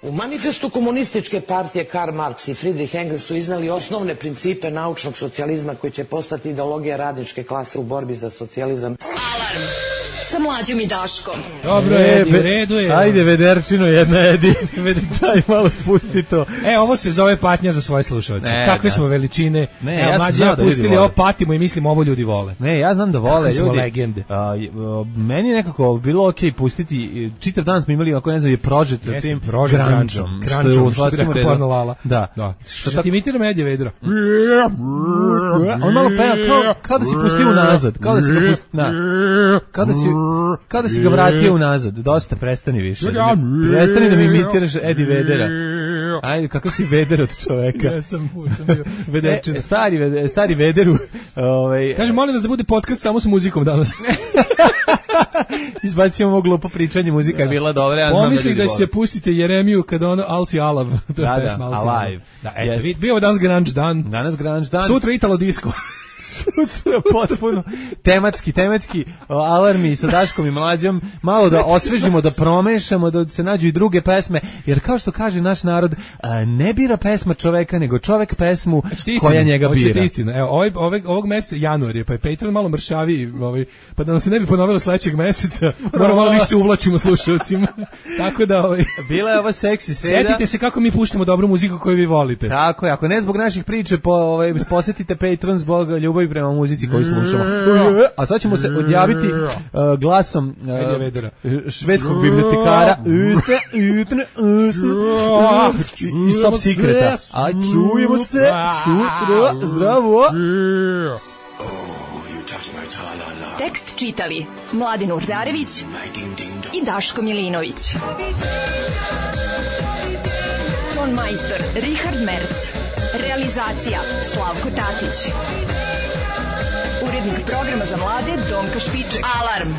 U manifestu komunističke partije Karl Marx i Friedrich Engels su iznali osnovne principe naučnog socijalizma koji će postati ideologija radničke klase u borbi za socijalizam. Alarm sa Mlađom i Daškom. Dobro, Edi, u redu je. Ajde, vederčino jedna, Edi. Daj malo spusti to. Ovo se zove patnja za svoje slušalce. Kakve smo veličine. Ja Mlađe ja pustili ovo, patimo i mislim ovo ljudi vole. Ne, ja znam da vole ljudi. Smo legende. Meni je nekako bilo okej pustiti, čitav dan smo imali, ako ne znam, je prožet tim Grungeom. Što je porno Lala. Da. Što ti imitira Edija Vedra. On malo peva kao da si pustio unazad. Kao da si ga vratio unazad. Dosta, prestani više. Prestani da mi imitiraš Eddie Vedera. Ajde, kako si Veder od čoveka? Ja sam bio Vederčina. Stari Vederu. Kaže, molim vas da bude podcast samo s muzikom danas. Izbacimo ovo glupo pričanje, muzika je bila dobra. Ja pomisli da će pustite Jeremiju kada ono Alci Alav. Da, Alive. Da, eto, bio danas grunge dan. Danas grunge dan. Sutra Italo disco. Potpuno tematski alarmi sa Daškom i Mlađom, malo da osvežimo, da promešamo, da se nađu i druge pesme, jer kao što kaže naš narod, ne bira pesma čoveka, nego čovek pesmu koja njega bira. Hoćete istinu. Evo, ovog meseca januar je, pa je Patreon malo mršavi, pa da nam se ne bi ponovilo sledećeg meseca, moramo malo više se uvlačimo slušalcima. Tako da bila je ova seksi sreda. Setite se kako mi puštamo dobru muziku koju vi volite. Tako je, ako ne zbog naših priče, posetite Patreon zbog ljubavi prema muzici koju slušamo. A sad ćemo se odjaviti glasom švedskog bibliotekara i Stop Secreta. A čujemo se sutra. Zdravo! Tekst čitali Mladin Urdarević i Daško Milinović. Ton majstor Richard Merc. Realizacija Slavko Tatić. Urednik programa za mlade Donka Špiček. Alarm!